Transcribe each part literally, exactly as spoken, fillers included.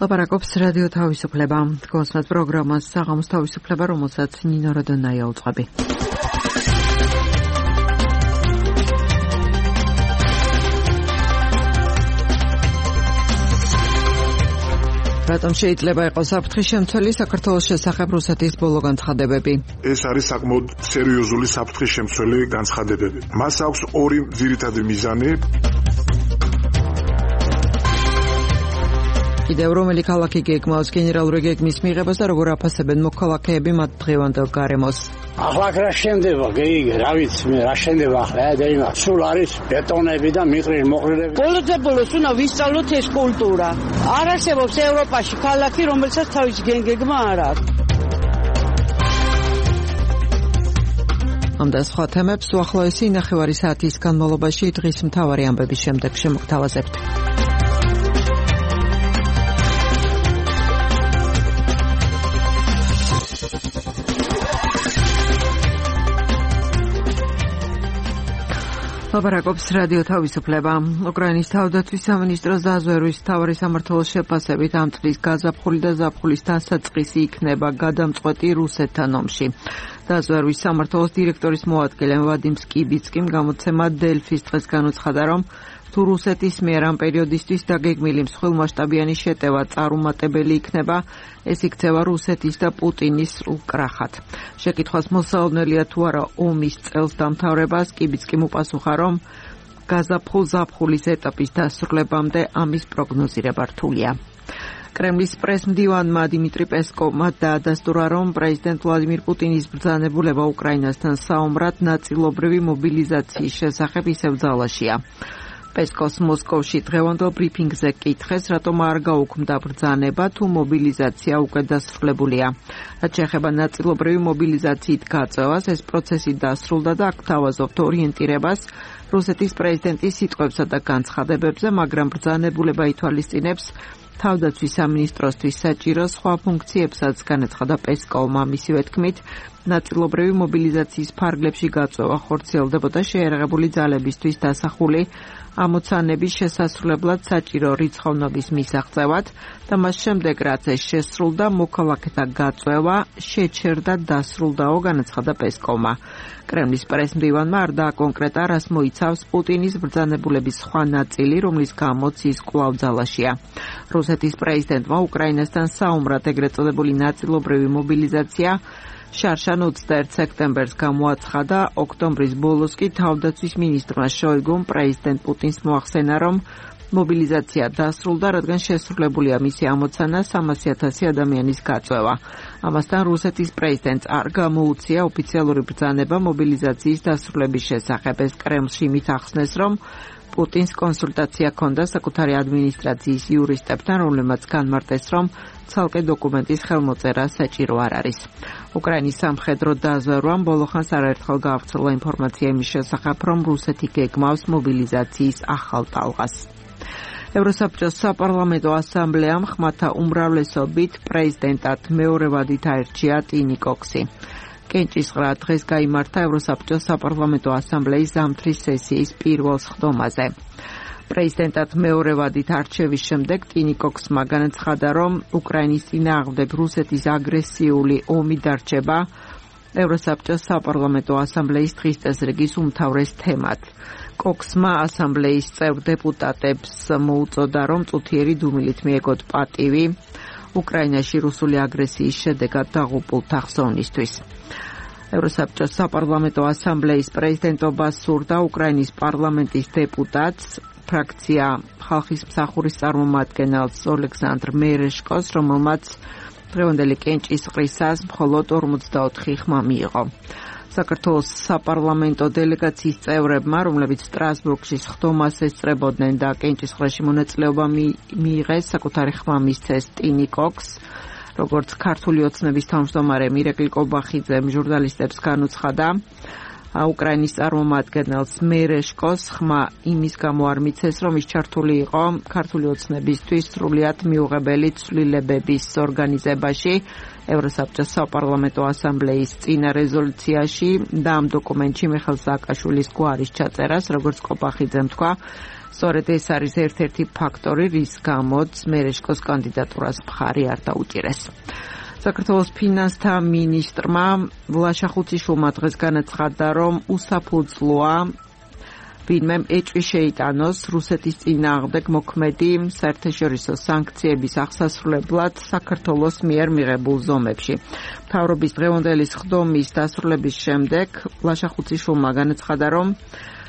ლაპარაკობს რადიო თავისუფლება. გოსმეთ პროგრამას საღამოს თავისუფლება, რომელსაც ნინო როდონაია უძღვები. რატომ შეიძლება იყოს საფრთხის შემცველი საქართველოს შესახებ რუსეთის ბოლო განცხადებები? ეს არის საკმაოდ სერიოზული საფრთხის შემცველი განცხადებები. მას აქვს ორი ძირითადი მიზანი. კიდევ რომელი ქალაქი გეგმავს გენერალური გეგმის მიღებას და როგორ აფასებენ მოქალაქეები მათ დღევანდელ გარემოს? ახლა რა შენდება, გეიგე, რა ვიცი მე, რა შენდება ახლა, ედა სულ არის ბეტონები და მიყრილი მოყრილები. ბოლოდე ბოლოს უნდა ვისწავლოთ ეს კულტურა. არ არსებობს ევროპაში ქალაქი, რომელსაც თავის გეგმა არ აქვს. ამ და სხვა თემებს უახლოესი ნახევარი საათის განმავლობაში დღის მთავარი ამბების შემდეგ შემოგთავაზებთ. ლაპარაკობს რადიო თავისუფლება. უკრაინის თავდაცვის სამინისტროს დაზვერვის მთავარი სამმართველოს შეფასებით ამ წლის გაზაფხული და ზაფხულის დასაწყისი იქნება გადამწყვეტი რუსეთთან ომში. დაზვერვის სამმართველოს დირექტორის მოადგილე ვადიმ სკიბიცკიმ გამოცემა დელფის დღეს განუცხადა, რომ თუ რუსეთის მიერ ამ პერიოდისთვის დაგეგმილი მსხვილმასშტაბიანი შეტევა წარუმატებელი იქნება, ეს იქცევა რუსეთის და პუტინის სრულ კრახად. შეკითხვას მოსაუბნელია თუ არა ომის წელს დამთავრება, სკიბიცკიმ უპასუხა, რომ გაზაფხულ-ზაფხულის ეტაპის დასრულებამდე ამის პროგნოზირება რთულია. კრემლის პრესმდივანმა დიმიტრი პესკოვმა დაადასტურა, რომ პრეზიდენტ ვლადიმირ პუტინის ბრძანებულება უკრაინასთან საომრად ნაწილობრივი მობილიზაციის შესახებ ისევ ძალაშია. პესკოვს მოსკოვში დღევანდელ ბრიფინგზე კითხეს, რატომ არ გაუქმდა ბრძანება, თუ მობილიზაცია უკვე დასრულებულია. რაც შეეხება ნაწილობრივი მობილიზაციით გაწევას, ეს პროცესი დასრულდა და აქ თავაზობთ ორიენტირებას რუსეთის პრეზიდენტის სიტყვებსა და განცხადებებზე, მაგრამ ბრძანებულება ითვალისწინებს თავდაცვის სამინისტროსთვის საჭირო სხვა ფუნქციებსაც, განაცხადა პესკოვმა. მისივე თქმით, ნაწილობრივი მობილიზაციის ფარგლებში გაწევა ხორციელდებოდა შეიარაღებული ძალებისთვის დასახული ამოცანების შესასრულებლად საჭირო რიცხოვნობის მისაღწევად და მას შემდეგ, რაც ეს შესრულდა, მოქალაქეთა გაწევა შეჩერდა დასრულდაო, განაცხადა პესკოვმა. კრემლის პრესმდივანმა არ დააკონკრეტა, რას მოიცავს პუტინის ბრძანებულების სხვა ნაწილი, რომლის გამოც ის კვლავ ძალაშია. რუსეთის პრეზიდენტმა უკრაინასთან საომრად ეგრეთ წოდებული ნაწილობრივი მობილიზაცია შარშან ოცდაერთ სექტემბერს გამოაცხადა, ოქტომბრის ბოლოს კი თავდაცვის მინისტრმა შოიგუმ პრეზიდენტ პუტინს მოახსენა, რომ მობილიზაცია დასრულდა, რადგან შესრულებულია მისი ამოცანა სამასი ათასი ადამიანის გაწევა. ამასთან რუსეთის პრეზიდენტს არ გამოუცია ოფიციალური ბრძანება მობილიზაციის დასრულების შესახებ. ეს კრემლში იმით ახსნეს, რომ პუტინს კონსულტაცია ჰქონდა საკუთარი ადმინისტრაციის იურისტებთან, რომლებმაც განმარტეს, რომ ცალკე დოკუმენტის ხელმოწერა საჭირო არ არის. უკრაინის სამხედრო დაზვერვამ ბოლოხანს არაერთხელ გაავრცელა ინფორმაცია იმის შესახებ, რომ რუსეთი გეგმავს მობილიზაციის ახალ ტალღას. ევროსაბჭოს საპარლამენტო ასამბლეამ ხმათა უმრავლესობით პრეზიდენტად მეორე ვადით აირჩია ტინი კოქსი. კენჭისყრა დღეს გაიმართა ევროსაბჭოს საპარლამენტო ასამბლეის ზამთრის სესიის პირველ სხდომაზე. პრეზიდენტად მეორე ვადით არჩევის შემდეგ ტინი კოქსმა განაცხადა, რომ უკრაინის წინააღმდეგ რუსეთის აგრესიული ომი დარჩება ევროსაბჭოს საპარლამენტო ასამბლეის დღის წესრიგის უმთავრეს თემად. კოქსმა ასამბლეის წევრ დეპუტატებს მოუწოდა, რომ წუთიერი დუმილით მიეგოთ პატივი უკრაინაში რუსული აგრესიის შედეგად დაღუპულთა ხსოვნისთვის. ევროსაბჭოს საპარლამენტო ასამბლეის პრეზიდენტობას სურდა უკრაინის პარლამენტის დეპუტატს, ფრაქცია ხალხის მსახურის წარმომადგენელს ოლეგზანდრ მერეშკოს, რომელმაც დღევანდელი კენჭისყრისას მხოლოდ ორმოცდაოთხი ხმა მიიღო. საქართველოს საპარლამენტო დელეგაციის წევრებმა, რომლებიც სტრასბურგში სხდომას ესწრებოდნენ და კენჭისყრაში მონაწილეობა მიიღეს, საკუთარი ხმა მისცეს ტინი კოქს. როგორც ქართული ოცნების თავმჯდომარე მირეკლი კობახიძემ ჟურნალისტებს განუცხადა, უკრაინის წარმომადგენელს მერეშკოს ხმა იმის გამო არ მიცეს, რომ ის ჩართული იყო ქართული ოცნებისთვის სრულიად მიუღებელი ცვლილებების ორგანიზებაში ევროსაბჭოს საპარლამენტო ასამბლეის წინა რეზოლუციაში და ამ დოკუმენტში მიხეილ სააკაშვილის გვარის ჩაწერას, როგორც კოპახიძემ თქვა, სწორედ ეს არის ერთ-ერთი ფაქტორი, რის გამოც მერეშკოს კანდიდატურას მხარი არ დაუჭირეს. საქართველოს ფინანსთა მინისტრმა ლაშა ხუციშვილმა დღეს განაცხადა, რომ უსაფუძვლოა ვინმე ეჭვი შეიტანოს რუსეთის წინააღმდეგ მოქმედი საერთაშორისო სანქციების აღსასრულებლად საქართველოს მიერ მიღებულ ზომებში. მთავრობის დღევანდელი სხდომის დასრულების შემდეგ ლაშა ხუციშვილმა განაცხადა, რომ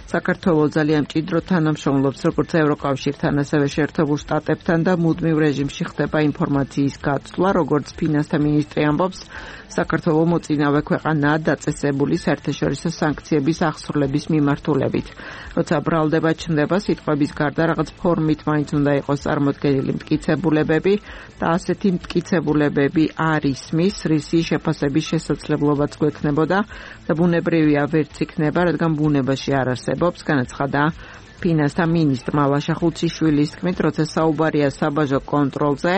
საქართველოს ძალიან მჭიდრო თანამშრომლობს როგორც ევროკავშირთან, ასევე შეერთებულ შტატებთან და მუდმივ რეჟიმში ხდება ინფორმაციის გაცვლა, როგორც ფინანსთა მინისტრი ამბობს, საქართველოს მოწინავე ქვეყანაა დაწესებული საერთაშორისო სანქციების აღსრულების მიმართულებით. როცა ბრალდება ჩნდება სიტყვების გარდა რაღაც ფორმით მაინც უნდა იყოს წარმოდგენილი მტკიცებულებები და ასეთი მტკიცებულებები არ ისმის, რისი შეფასების შესაძლებლობაც გვექნებოდა და ბუნებრივია ვერც იქნება, რადგან ბუნებაში არ არსებობს, განაცხადა ფინანსთა მინისტრმა ლაშა ხუციშვილის თქმით, როცა საუბარია საბაჟო კონტროლზე,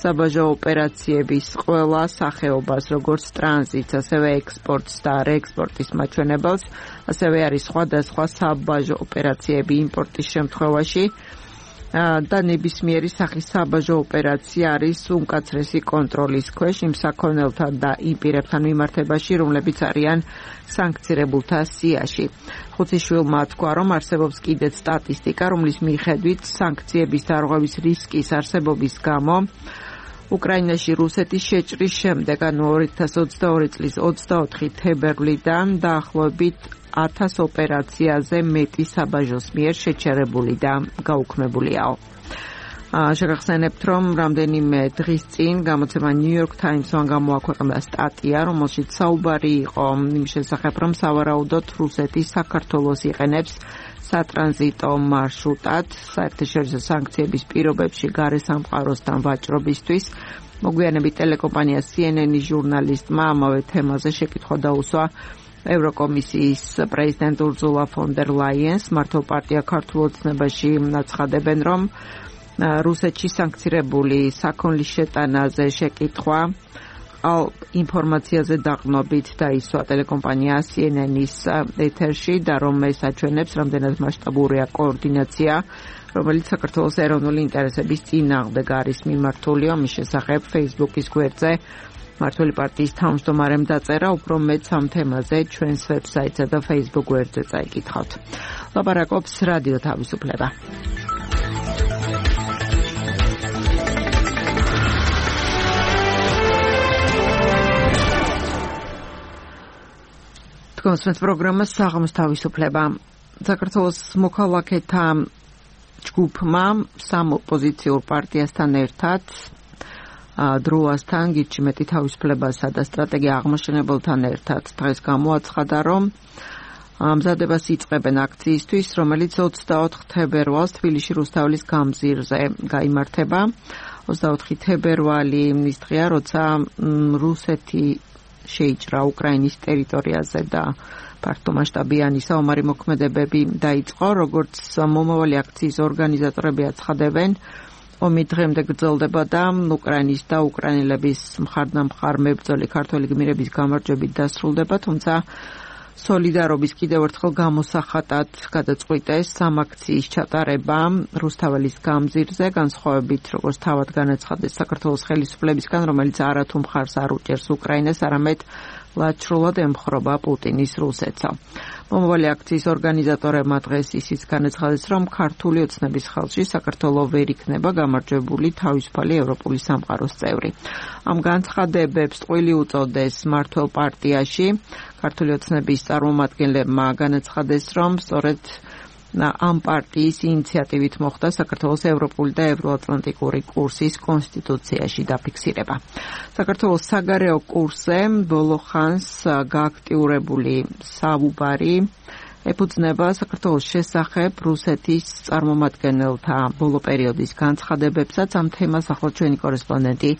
საბაჟო ოპერაციების ყველა სახეობას, როგორც ტრანზიტს, ასევე ექსპორტს და რეექსპორტის მაჩვენებელს, ასევე არის სხვადასხვა საბაჟო ოპერაციები იმპორტის შემთხვევაში და ნებისმიერი სახის საბაჟო ოპერაცია არის უმკაცრესი კონტროლის ქვეშ იმ საქონელთან და იმ პირებთან მიმართებაში, რომლებიც არიან სანქცირებულთა სიაში. ხუციშვილმა თქვა, რომ არსებობს კიდეც სტატისტიკა, რომლის მიხედვით სანქციების დარღვევის რისკის არსებობის გამო უკრაინაში რუსეთის შეჭრის შემდეგ, ანუ ორი ათას ოცდაორი წლის ოცდაოთხი თებერვლიდან დაახლოებით ათას ოპერაციაზე მეტი საბაჟოს მიერ შეჩერებული და გაუქმებულიაო. შეგახსენებთ, რომ რამდენიმე დღის წინ გამოცემა New York Times-მა გამოაქვეყნა სტატია, რომელშიც საუბარი იყო იმ შესახებ, რომ სავარაუდოდ რუსეთი საქართველოს იყენებს სატრანზიტო მარშრუტად საერთაშორისო სანქციების პირობებში გარესამყაროსთან ვაჭრობისთვის. მოგვიანებით ტელეკომპანია C N N-ის ჟურნალისტმა ამავე თემაზე შეკითხვა დაუსვა ევროკომისიის პრეზიდენტ ურზულა ფონ დერ ლაიენს. მართო პარტია ქართულ ოცნებაში აცხადებენ, რომ რუსეთში სანქცირებული საქონლის შეტანაზე შეკითხვა ინფორმაციაზე დაყრდნობით დაისვა ტელეკომპანია C N N-ის ეთერში და რომ ეს აჩვენებს, რამდენად მასშტაბურია კოორდინაცია, რომელიც საქართველოს ეროვნული ინტერესების წინააღმდეგ არის მიმართული. ამის შესახებ Facebook-ის გვერდზე მართული პარტიის თავმჯდომარემ დაწერა, უფრო მეტს ამ თემაზე ჩვენს ვებსაიტსა და Facebook გვერდზე წაიკითხავთ. ლაპარაკობს რადიო თავისუფლება. თქვენს პროგრამას საღამოს თავისუფლება. საქართველოს მოქალაქეთა ჯგუფმა სამ ოპოზიციურ პარტიასთან ერთად დროასთან, გიჩი მეტი თავისუფლებასა და სტრატეგია აღმაშენებელთან ერთად დღეს გამოაცხადა, რომ მზადებას იწყებენ აქციისთვის, რომელიც ოცდაოთხ თებერვალს თბილისში რუსთაველის გამზირზე გაიმართება. ოცდაოთხი თებერვალი ის დღეა, როცა რუსეთი შეიჭრა უკრაინის ტერიტორიაზე და ფართომასშტაბიანი საომარი მოქმედებები დაიწყო. როგორც მომავალი აქციის ორგანიზატორები აცხადებენ, ომი დღემდე გრძელდება და უკრაინის და უკრაინელების მხარდამხარ მებრძოლი ქართველი გმირების გამარჯვებით დასრულდება, თუმცა სოლიდარობის კიდევ ერთხელ გამოსახატად გადაწყვიტეს სამ აქციის ჩატარება რუსთაველის გამზირზე, განსხვავებით როგორც თავად განაცხადეს საქართველოს ხელისუფლებისგან, რომელიც არათუ მხარს არ უჭერს უკრაინას, არამედ ლაჩრულად ემხრობა პუტინის რუსეთსა. მომავალი აქციის ორგანიზატორებმა დღეს ისიც განაცხადეს, რომ ქართული ოცნების ხელში საქართველოს ვერ იქნება გამარჯვებული თავისუფალი ევროპული სამყაროს წევრი. ამ განცხადებებს ტყვილი უწოდეს მართლ პარტიაში. ქართული ოცნების წარმომადგენლებმა განაცხადეს, რომ სწორედ ამ პარტიის ინიციატივით მოხდა საქართველოს ევროპული და ევროატლანტიკური კურსის კონსტიტუციაში დაფიქსირება. საქართველოს საგარეო კურსზე ბოლო ხანს გააქტიურებული საუბარი ეფუძნება საქართველოს შესახებ რუსეთის წარმომადგენელთა ბოლო პერიოდის განცხადებებსაც. ამ თემას ახლა ჩვენი კორესპონდენტი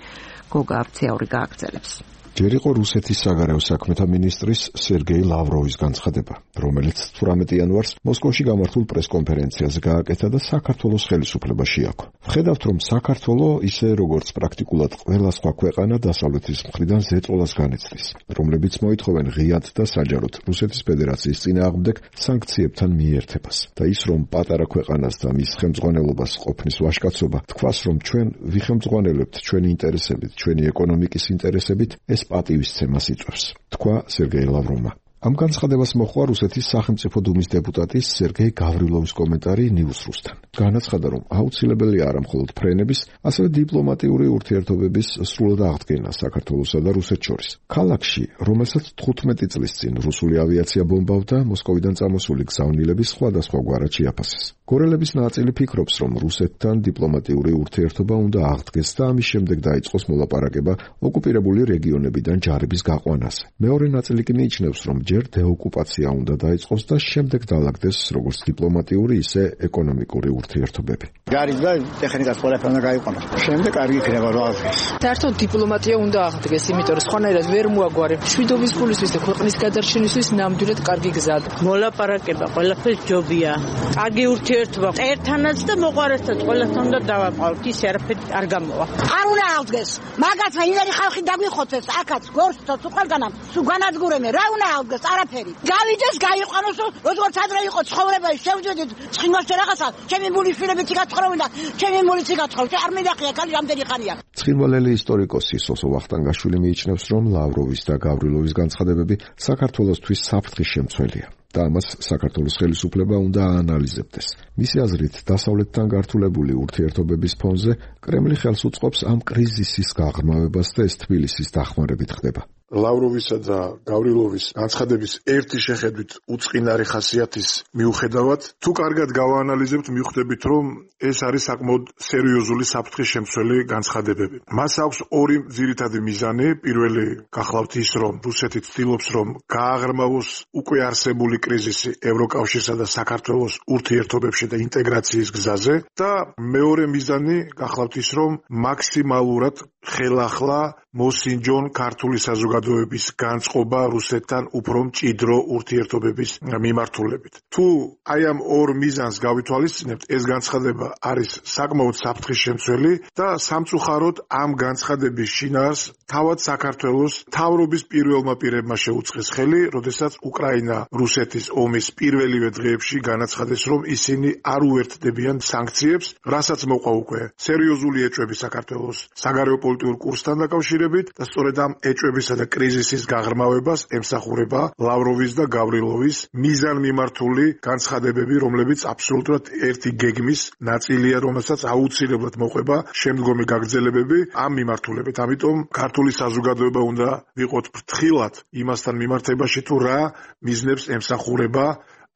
გოგა აბცაური გააგრძელებს. ჯერ იყო რუსეთის საგარეო საქმეთა მინისტრის სერგეი ლავროვის განცხადება, რომელიც თვრამეტი იანვარს მოსკოვში გამართულ პრესკონფერენციაზე გააკეთა და საქართველოს ხელისუფლება შეაქო. ვხედავთ, რომ საქართველო ისე როგორც პრაქტიკულად ყველა სხვა ქვეყანა დასავლეთის მხრიდან ზეწოლას განიცდის, რომლებიც მოითხოვენ ღიად და საჯაროდ რუსეთის ფედერაციის წინააღმდეგ სანქციებთან მიერთებას. და ის, რომ პატარა ქვეყანას და მის ხელმძღვანელობას ყოფნის ვაჟკაცობა, თქვას, რომ ჩვენ ვიხელმძღვანელებთ ჩვენი ინტერესებით, ჩვენი ეკონომიკის ინტერესებით, ეს პატივისცემას იწვევს, თქვა სერგეი ლავროვმა. ამ განცხადებას მოჰყვა რუსეთის სახელმწიფო დუმის დეპუტატის სერგეი გავრილოვის კომენტარი News Rus-თან. განაცხადა, რომ აუცილებელი არა მხოლოდ ფრენების, ასევე დიპლომატიური ურთიერთობების სრულად აღდგენა საქართველოსა და რუსეთს შორის. ქალაქში, რომელსაც თხუთმეტი წლის წინ რუსული ავიაცია ბომბავდა, მოსკოვიდან წამოსული გზავნილების სხვადასხვაგვარად შეაფასეს. გორელების ნაწილი ფიქრობს, რომ რუსეთთან დიპლომატიური ურთიერთობა უნდა აღდგეს და ამის შემდეგ დაიწყოს მოლაპარაკება ოკუპირებული რეგიონებიდან ჯარების გაყვანაზე. მეორე ნაწილი კი მიიჩნევს, რომ ჯერ დეოკუპაცია უნდა დაიწყოს და შემდეგ დაალაგდეს როგორც დიპლომატიური, ისე ეკონომიკური ურთიერთობები. გარიც და ტექნიკას ყველაფერი უნდა გაიყვანოს. შემდეგ კარგი იქნება რა აღდგეს. საერთოდ დიპლომატია უნდა აღდგეს, იმიტომ რომ სხვანაირად ვერ მოაგვარებ. შვიდობის ფულისთვის და ქვეყნის გადარჩენისთვის ნამდვილად კარგი გზაა. მოლაპარაკება ყველაფერს ჯობია. კარგი ურთიერთობა ერთანაც და მოყვარესთან ყველასთან უნდა დავაყავთ. ის არაფერი არ გამოვა. არ უნდა აღდგეს. მაგაცა იმერი ხალხი დაგვიხოცეს, აქაც გორსთო თუ ყველგანამ, თუ განადგურებენ, რა უნდა აღდგეს? არაფერი. გავიდეს, გაიყვანოს, როგორც ადრე იყო ცხოვრებაში, შევძვედით ცხინვალში რაღაცა, ჩემი მულიშვილებიც გაცხოვრობენ და ჩემი მულიც გაცხოვრობ. არ მიდახია, ხალი რამდენი ხანია. ცხინვალელი ისტორიკოსი სოსო ვახტანგაშვილი მიიჩნევს, რომ ლავროვის და გავრილოვის განცხადებები საქართველოსთვის საფრთხის შემცველია. და ამას საქართველოს ხელისუფლება უნდა აანალიზებდეს. მისი აზრით, დასავლეთთან გართულებული ურთიერთობების ფონზე კრემლი ხელს უწყობს ამ კრიზისის გაღრმავებას და ეს თბილისის დახმარებით ხდება. ლავროვისა და გავრილოვის განცხადების ერთი შეხედვით უწყინარი ხასიათის მიუხედავად, თუ კარგად გავაანალიზებთ, მივხვდებით, რომ ეს არის საკმაოდ სერიოზული საფრთხის შემცველი განცხადებები. მას აქვს ორი ძირითადი მიზანი. პირველი გახლავთ ის, რომ რუსეთი ცდილობს, რომ გააღრმავოს უკვე არსებული კრიზისი ევროკავშირსა და საქართველოს ურთიერთობებში და ინტეგრაციის გზაზე და მეორე მიზანი გახლავთ ის, რომ მაქსიმალურად ხელახლა მოსინჯონ ქართული საზოგადოების განწყობა რუსეთთან უფრო მჭიდრო ურთიერთობების მიმართულებით. თუ აი ამ ორ მიზანს გავითვალისწინებთ, ეს განცხადება არის საკმაოდ საფრთხის შემცველი და სამწუხაროდ ამ განცხადების შინაარს თავად საქართველოს მთავრობის პირველმა პირებმა შეუწყეს ხელი, როდესაც უკრაინა რუსეთის ომის პირველივე დღეებში განაცხადეს, რომ ისინი არ უერთდებიან სანქციებს, რასაც მოყვა უკვე სერიოზული ეჭვები საქართველოს საგარეო პოლიტიკურ კურსთან დაკავშირებით და სწორედ ამ ეჭვებისა და კრიზისის გაღრმავებას ემსახურება ლავროვის და გავრილოვის მიზანმიმართული განცხადებები, რომლებიც აბსოლუტურად ერთი გეგმის ნაწილია, რომელსაც აუცილებლად მოყვება შემდგომი გაგრძელებები ამ მიმართულებით. ამიტომ ქართული საზოგადოება უნდა ვიყოთ ფრთხილად იმასთან მიმართებაში, თუ რა მიზნებს ემსახურება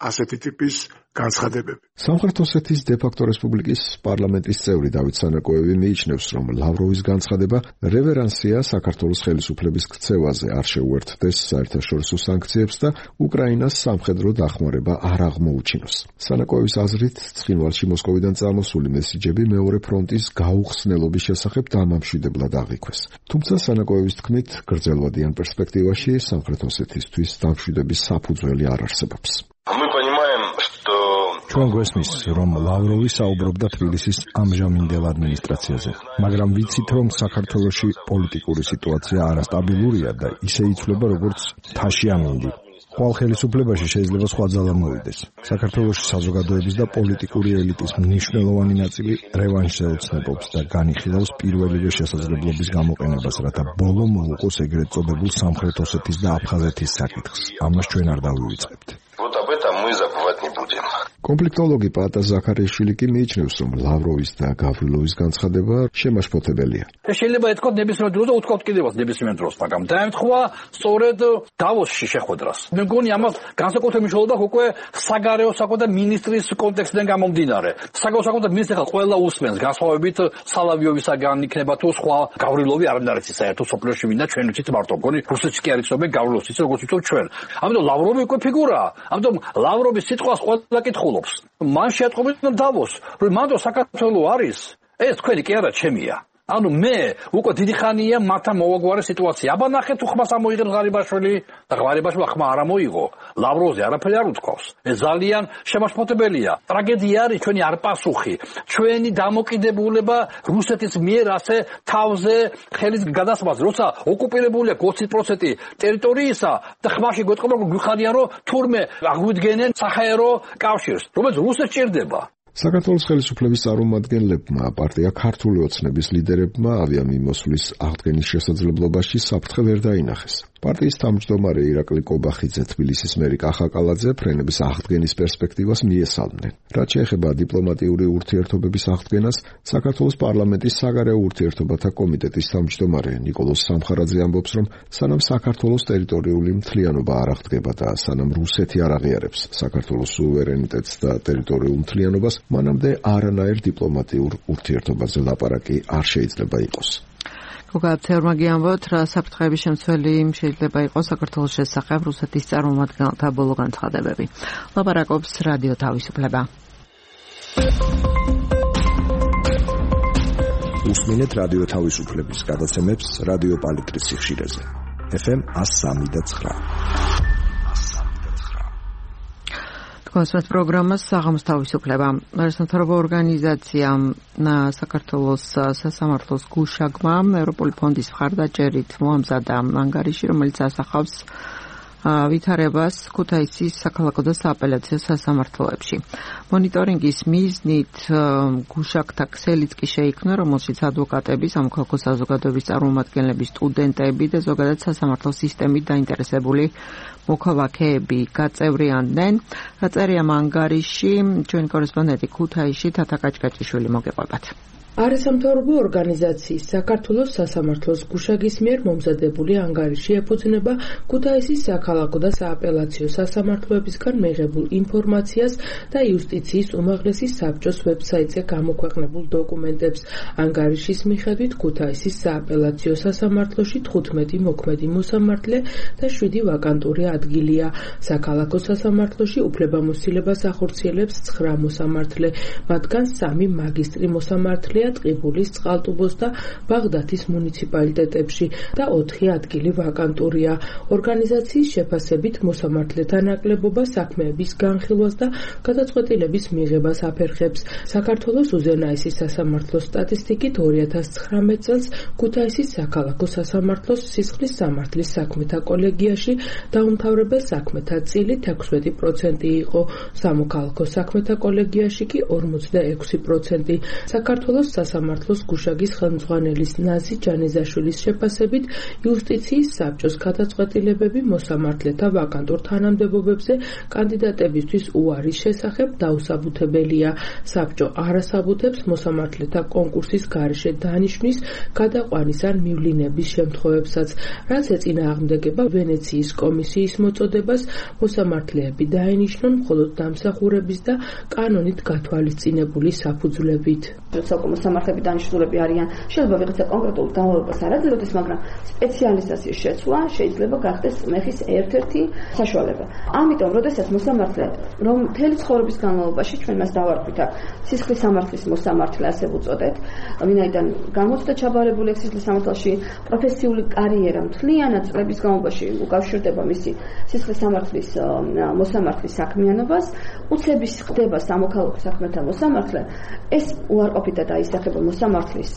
ასეთი ტიპის განცხადებები. სამხრეთ ოსეთის დე-ფაქტო რესპუბლიკის პარლამენტის წევრი დავით სანაკოევი მიიჩნევს, რომ ლავროვის განცხადება რევერანსია საქართველოს ხელისუფლების ქცევაზე არ შეუერთდეს საერთაშორისო სანქციებს და უკრაინას სამხედრო დახმარება არ აღმოუჩინოს. სანაკოევის აზრით, ცხინვალში მოსკოვიდან წამოსული მესიჯები მეორე ფრონტის გაუხსნელობის შესახებ დამამშვიდებლად აღიქვეს. თუმცა სანაკოევის თქმით, გრძელვადიან პერსპექტივაში სამხრეთ ოსეთისთვის დამშვიდების საფუძველი არ არსებობს. ჩვენ გვესმის, რომ ლავროვი საუბრობდა თბილისის ამჟამინდელ ადმინისტრაციაზე, მაგრამ ვიცით, რომ საქართველოში პოლიტიკური სიტუაცია არასტაბილურია და ისე იცვლება, როგორც თაში ამინდი. ხვალ ხელისუფლებაში შეიძლება სხვა ძალა მოვიდეს. საქართველოში საზოგადოების და პოლიტიკური ელიტის მნიშვნელოვანი ნაწილი რევანშზე ოცნებობს და განიხილავს პირველივე შესაძლებლობის გამოყენებას, რათა ბოლო მოუყოს ეგრეთ წოდებულ სამხრეთ ოსეთის და აფხაზეთის საკითხს. ამას ჩვენ არ დავივიწყებთ. კონფლიქტოლოგი პატა ზაქარიაშვილი კი მიიჩნევს, რომ ლავროვის და გავრილოვის განცხადება შემაშფოთებელია. შეიძლება ეთქვათ ნებისმიერ დროს და უთქვათ კიდევაც ნებისმიერ დროს, მაგრამ დაემთხვა სწორედ დავოსში შეხვედრას. მე მგონი ამას განსაკუთრებული მნიშვნელობა აქვს უკვე საგარეო საქმეთა მინისტრის კონტექსტიდან გამომდინარე. საგარეო საქმეთა მინისტრი ხა ყველა უსმენს, განსხვავებით სალავიოვისაგან იქნება თუ სხვა. გავრილოვი არ უნდა არის საერთოდ სოფლიოში მინდა ჩვენ ვიცით მარტო მგონი რუსეთში კი არის ცნობენ გავრილოვს იცით როგორც ვიცით ჩვენ. ამიტომ ლავროვი უკვე ფიგურაა. ამიტომ ლავროვის სიტყვას ყველა კითხულობს. მან შეატყობინა დავოს, რომ მანდ საქართველოს არის, ეს თქვენი კი არა ჩემია. ანუ მე უკვე დიდი ხანია მათთან მოვაგვარე სიტუაცია. აბა ნახეთ თუ ხმას ამოიღეთ ღარიბაშვილი და ღარიბაშვილი ხმა არ ამოიღო. ლავროვზე არაფერი არ უთქვავს. ეს ძალიან შემაშფოთებელია. ტრაგედია არის ჩვენი არპასუხი, ჩვენი დამოკიდებულება რუსეთის მიერ ასე თავზე ხელის გადასმაზე, როცა ოკუპირებულია ოცი პროცენტი ტერიტორიისა და ხმაში გვეტყობა რომ გვიხარიან რომ თურმე აღვიდგენენ საჰაერო კავშირს, რომელიც რუსეთს ჭირდება. საქართველოს ხელისუფლების წარმომადგენლებმა პარტია ქართული ოცნების ლიდერებმა ავიამიმოსვლის აღდგენის შესაძლებლობაში საფრთხე ვერ დაინახეს. პარტიის თავმჯდომარე ირაკლი კობახიძე, თბილისის მერი კახაკალაძე ფრენების აღდგენის პერსპექტივას მიესალმნენ. რაც შეეხება დიპლომატიური ურთიერთობების აღდგენას, საქართველოს პარლამენტის საგარეო ურთიერთობათა კომიტეტის თავმჯდომარე ნიკოლოზ სამხარაძე ამბობს, რომ სანამ საქართველოს ტერიტორიული მთლიანობა არ აღდგება და სანამ რუსეთი არ აღიარებს საქართველოს სუვერენიტეტს და ტერიტორიულ მთლიანობას, მანამდე არანაირ დიპლომატიურ ურთიერთობაზე ლაპარაკი არ შეიძლება იყოს. გოგაცეურმა გიამბოთ, რა საფრთხეების შემცველი შეიძლება იყოს საქართველოს შესახებ რუსეთის წარმომადგენელთა ბოლო განცხადებები. ლაპარაკობს რადიო თავისუფლება. უსმინეთ რადიო თავისუფლების გადაცემებს რადიო პალიტრის სიხშირეზე. ეფ ემ one oh three point nine. კონსერტ პროგრამას საღამოს თავისუფლება. ეროვნულ ორგანიზაციამ საქართველოს სასამართლოს გუშაგმა ევროპული ფონდის მხარდაჭერით მოამზადა ანგარიში, რომელიც ასახავს ვითარებას ქუთაისის საქალაქო და სააპელაციო სასამართლოებში. მონიტორინგის მიზნით გუშაგთა ქსელიც კი შეიქმნა, რომელშიც ადვოკატები, სამოქალაქო საზოგადოების წარმომადგენლები, სტუდენტები და ზოგადად სასამართლო სისტემით დაინტერესებული მოქალაქეები გაწევრიანდნენ. დაწერია ანგარიში, ჩვენი კორესპონდენტი ქუთაისში თათა კაჭკაჭიშვილი მოგეყვებათ. არასამთავრობო ორგანიზაციის საქართველოს სასამართლოს გუშაგის მიერ მომზადებული ანგარიში ეფუძნება ქუთაისის საქალაქო და სააპელაციო სასამართლოებისგან მიღებულ ინფორმაციას და იუსტიციის უმაღლესი საბჭოს ვებსაიტზე გამოქვეყნებულ დოკუმენტებს. ანგარიშის მიხედვით ქუთაისის სააპელაციო სასამართლოში თხუთმეტი მოქმედი მოსამართლე და შვიდი ვაკანტური ადგილია. საქალაქო სასამართლოში უფლებამოსილებას ახორციელებს ცხრა მოსამართლე, მათგან სამი მაგისტრი მოსამართლე ტყიბულის, წყალტუბოს და ბაღდათის მუნიციპალიტეტებში და ოთხი ადგილი ვაკანტურია. ორგანიზაციის შეფასებით მოსამართლეთა ნაკლებობა საქმეების განხილვას და გადაწყვეტილების მიღებას აფერხებს. საქართველოს უზენაესი სასამართლოს სტატისტიკით ორი ათას ცხრამეტ წელს ქუთაისის საქალაქო სასამართლოს სისხლის სამართლის საქმეთა კოლეგიაში დაუმთავრებელ საქმეთა წილით ექვსმეტი პროცენტი იყო, სამოქალაქო საქმეთა კოლეგიაში კი ორმოცდაექვსი პროცენტი. საქართველოს სასამართლოს გუშაგის ხელმძღვანელის ნაზი ჯანიზაშვილის შეფასებით იუსტიციის საბჭოს გადაწყვეტილებები მოსამართლეთა ვაკანტურ თანამდებობებზე კანდიდატებისთვის უარის შესახებ დაუსაბუთებელია. საბჭო არასაბუთებს მოსამართლეთა კონკურსის გარეშე დანიშვნის, გადაყვანის ან მივლინების შემთხვევებსაც, რაც ეწინააღმდეგება ვენეციის კომისიის მოწოდებას მოსამართლეები დაენიშნონ მხოლოდ დამსახურების და კანონით გათვალისწინებული საფუძვლებით. მოსამართლეები დანიშნულები არიან, შეიძლება ვიღაცა კონკრეტულ განმავლობას არ აძლევდეს, მაგრამ სპეციალიზაციის შეცვლა შეიძლება გახდეს მეხის ერთ-ერთი საშუალება. ამიტომ, როდესაც მოსამართლე, რომ მთელი ცხოვრების განმავლობაში ჩვენ მას დავარქვით აქ სისხლის სამართლის მოსამართლე, ასე ვუწოდეთ, ვინაიდან გამოჩნდა ჩაბარებული სისხლის სამართალში პროფესიული კარიერა მთლიანად წლების განმავლობაში უკავშირდება მისი სისხლის სამართლის მოსამართლის საქმიანობას, უცების ხდება სამოქალაქო საქმეთა მოსამართლე, ეს უარყოფითად აისახება მოსამართლის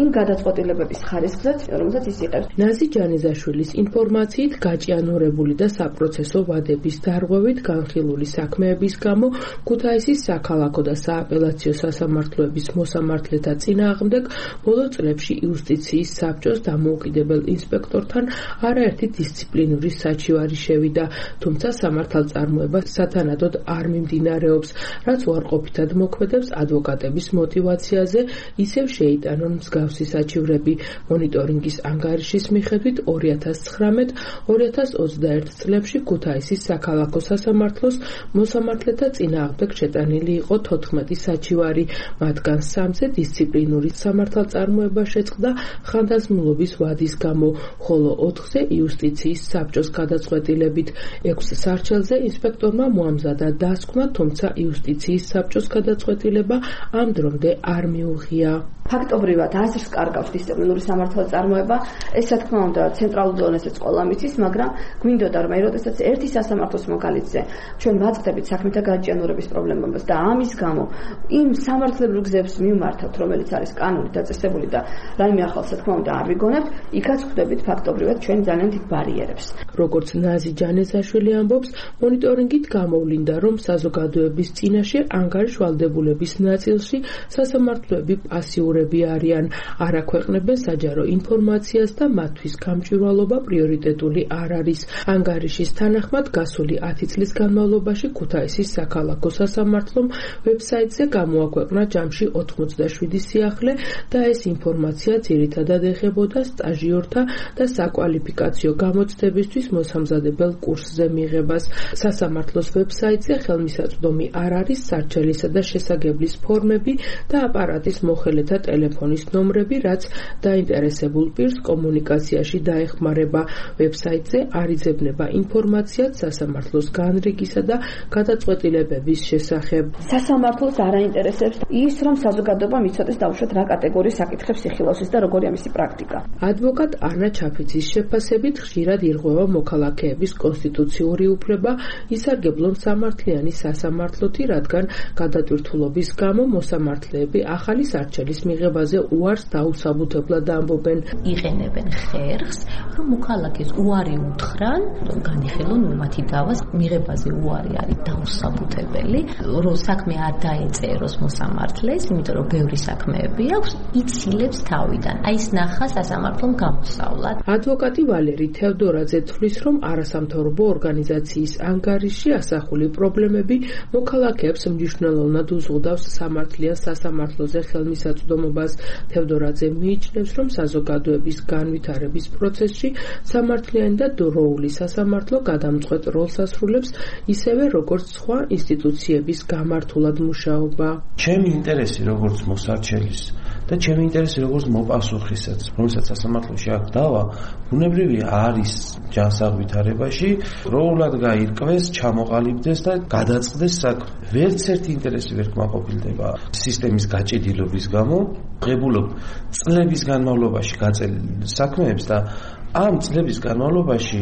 იმ გადაწყვეტილებების ხარისხზეც, რომელსაც ის იღებს. ნაზი ჯანიზაშვილის ინფორმაციით გაჭიანურებული და საპროცესო ვადების დარღვევით განხილული საქმეების გამო ქუთაისის საქალაქო და სააპელაციო სასამართლოების მოსამართლეთა წინააღმდეგ ბოლო წლებში იუსტიციის საბჭოს დამოუკიდებელ ინსპექტორთან არაერთი დისციპლინური საჩივარი შევიდა, თუმცა სამართალწარმოება სათანადოდ არ მიმდინარეობს, რაც უარყოფითად მოქმედებს ადვოკატების мотивაციაზე, ისევ შეიტანონ მსგავსი საჩივრები. მონიტორინგის ანგარიშის მიხედვით ორი ათას ცხრამეტ ორი ათას ოცდაერთ წლებში ქუთაისის საქალაქო სასამართლოს მოსამართლეთა წინააღმდეგ შეტანილი იყო თოთხმეტი საჩივარი, მათგან სამზე დისციპლინური სამართალწარმოება შეწყდა ხანდაზმულობის ვადის გამო, ხოლო ოთხზე იუსტიციის საბჭოს გადაწყვეტილებით. ექვს სარჩელზე ინსპექტორმა მოამზადა დასკვნა, თუმცა იუსტიციის საბჭოს გადაწყვეტილება ამ დრომდე არ მიუღია. ოთხია. ფაქტობრივად აზრს კარგავს დისციპლინური სამართლის წარმოება, ეს რა თქმა უნდა ცენტრალურ დონეზეც ყველა მიცის, მაგრამ გვინდოდა რომ როდესაც ერთი სასამართლოს მაგალითზე ჩვენ ვაწყდებით საქმეთა გაჭიანურების პრობლემას და ამის გამო იმ სამართლებრივ გზებს მივმართავთ, რომელიც არის კანონით დაწესებული და რაიმე ახალს რა თქმა უნდა არ ვიგონებთ, იქაც ხვდებით ფაქტობრივად ჩვენ ძალიან დიდ ბარიერებს. როგორც ნაზი ჯანესაშვილი ამბობს, მონიტორინგით გამოვლინდა, რომ საზოგადოების წინაშე ანგარიშვალდებულების ნაწილში სასამართლოები პასიურები არიან, არ აქვეყნებენ საჯარო ინფორმაციას და მათთვის გამჭვირვალობა პრიორიტეტული არ არის. ანგარიშის თანახმად გასული ათი წლის განმავლობაში ქუთაისის საქალაქო სასამართლომ ვებსაიტზე გამოაქვეყნა ჯამში ოთხმოცდაშვიდი სიახლე და ეს ინფორმაცია ძირითადად ეხებოდა სტაჟიორთა და საკვალიფიკაციო გამოცდებისთვის მოსამზადებელ კურსზე მიღებას. სასამართლოს ვებსაიტზე ხელმისაწვდომი არ არის სარჩელისა და შესაგებლის ფორმები და აპარატის მოხელეთა ტელეფონის ნომრები, რაც დაინტერესებულ პირს კომუნიკაციაში დაეხმარება. ვებსაიტზე არ იძებნება ინფორმაციაც სასამართლოს განრიგისა და გადაწყვეტილებების შესახებ. სასამართლოს არ აინტერესებს ის, რომ საზოგადოებამ იცოდეს დაუშვათ რა კატეგორიის საკითხებს იხილავს და როგორია მისი პრაქტიკა. ადვოკატ ანა ჩაფიცის შეფასებით ხშირად ირღვევა მოქალაქეების კონსტიტუციური უფლება ისარგებლონ სამართლიანი სასამართლოთი, რადგან გადატვირთულობის გამო მოსამართლეები ახალი სარჩელის მიღებაზე უარს დაუსაბუთებლად ამბობენ. იყენებენ ხერხს, რომ მოქალაქეს უარი უთხრან, რომ განიხილონ მათი დავას მიღებაზე უარი არის დაუსაბუთებელი, რომ საქმე არ დაეწეროს მოსამართლეს, იმიტომ რომ ბევრი საქმეები აქვს, იცილებს თავიდან. აი ეს ნახა სასამართლომ გამოსავლად. ადვოკატი ვალერი თევდორაძე თვლის, რომ არასამთავრობო ორგანიზაციის ანგარიში ასახული პრობლემები მოქალაქეებს მნიშვნელოვნად უზღუდავს სამართლიან სასამართლოზე ხელმისაწვდომობას. თევდორაძე მიიჩნევს, რომ საზოგადოების განვითარების პროცესში სამართლიანი და დროული სასამართლო გადამწყვეტ როლს ასრულებს, ისევე როგორც სხვა ინსტიტუციების გამართულად მუშაობა. ჩემი ინტერესი როგორც მოსარჩელის და ჩემი ინტერესი როგორც მოპასუხისაც, რომელსაც სასამართლოში აქვს დავა, ბუნებრივი არის ჯანსაღვითარებაში, დროულად გაირკვეს, ჩამოყალიბდეს და გადაწყდეს საქმე. ვერც ერთი ინტერესი ვერ კმაყოფილდება სისტემის გაჭედილობის გამო, ღებულობ წლების განმავლობაში გაწელილ საქმეებს და ამ წლების განმავლობაში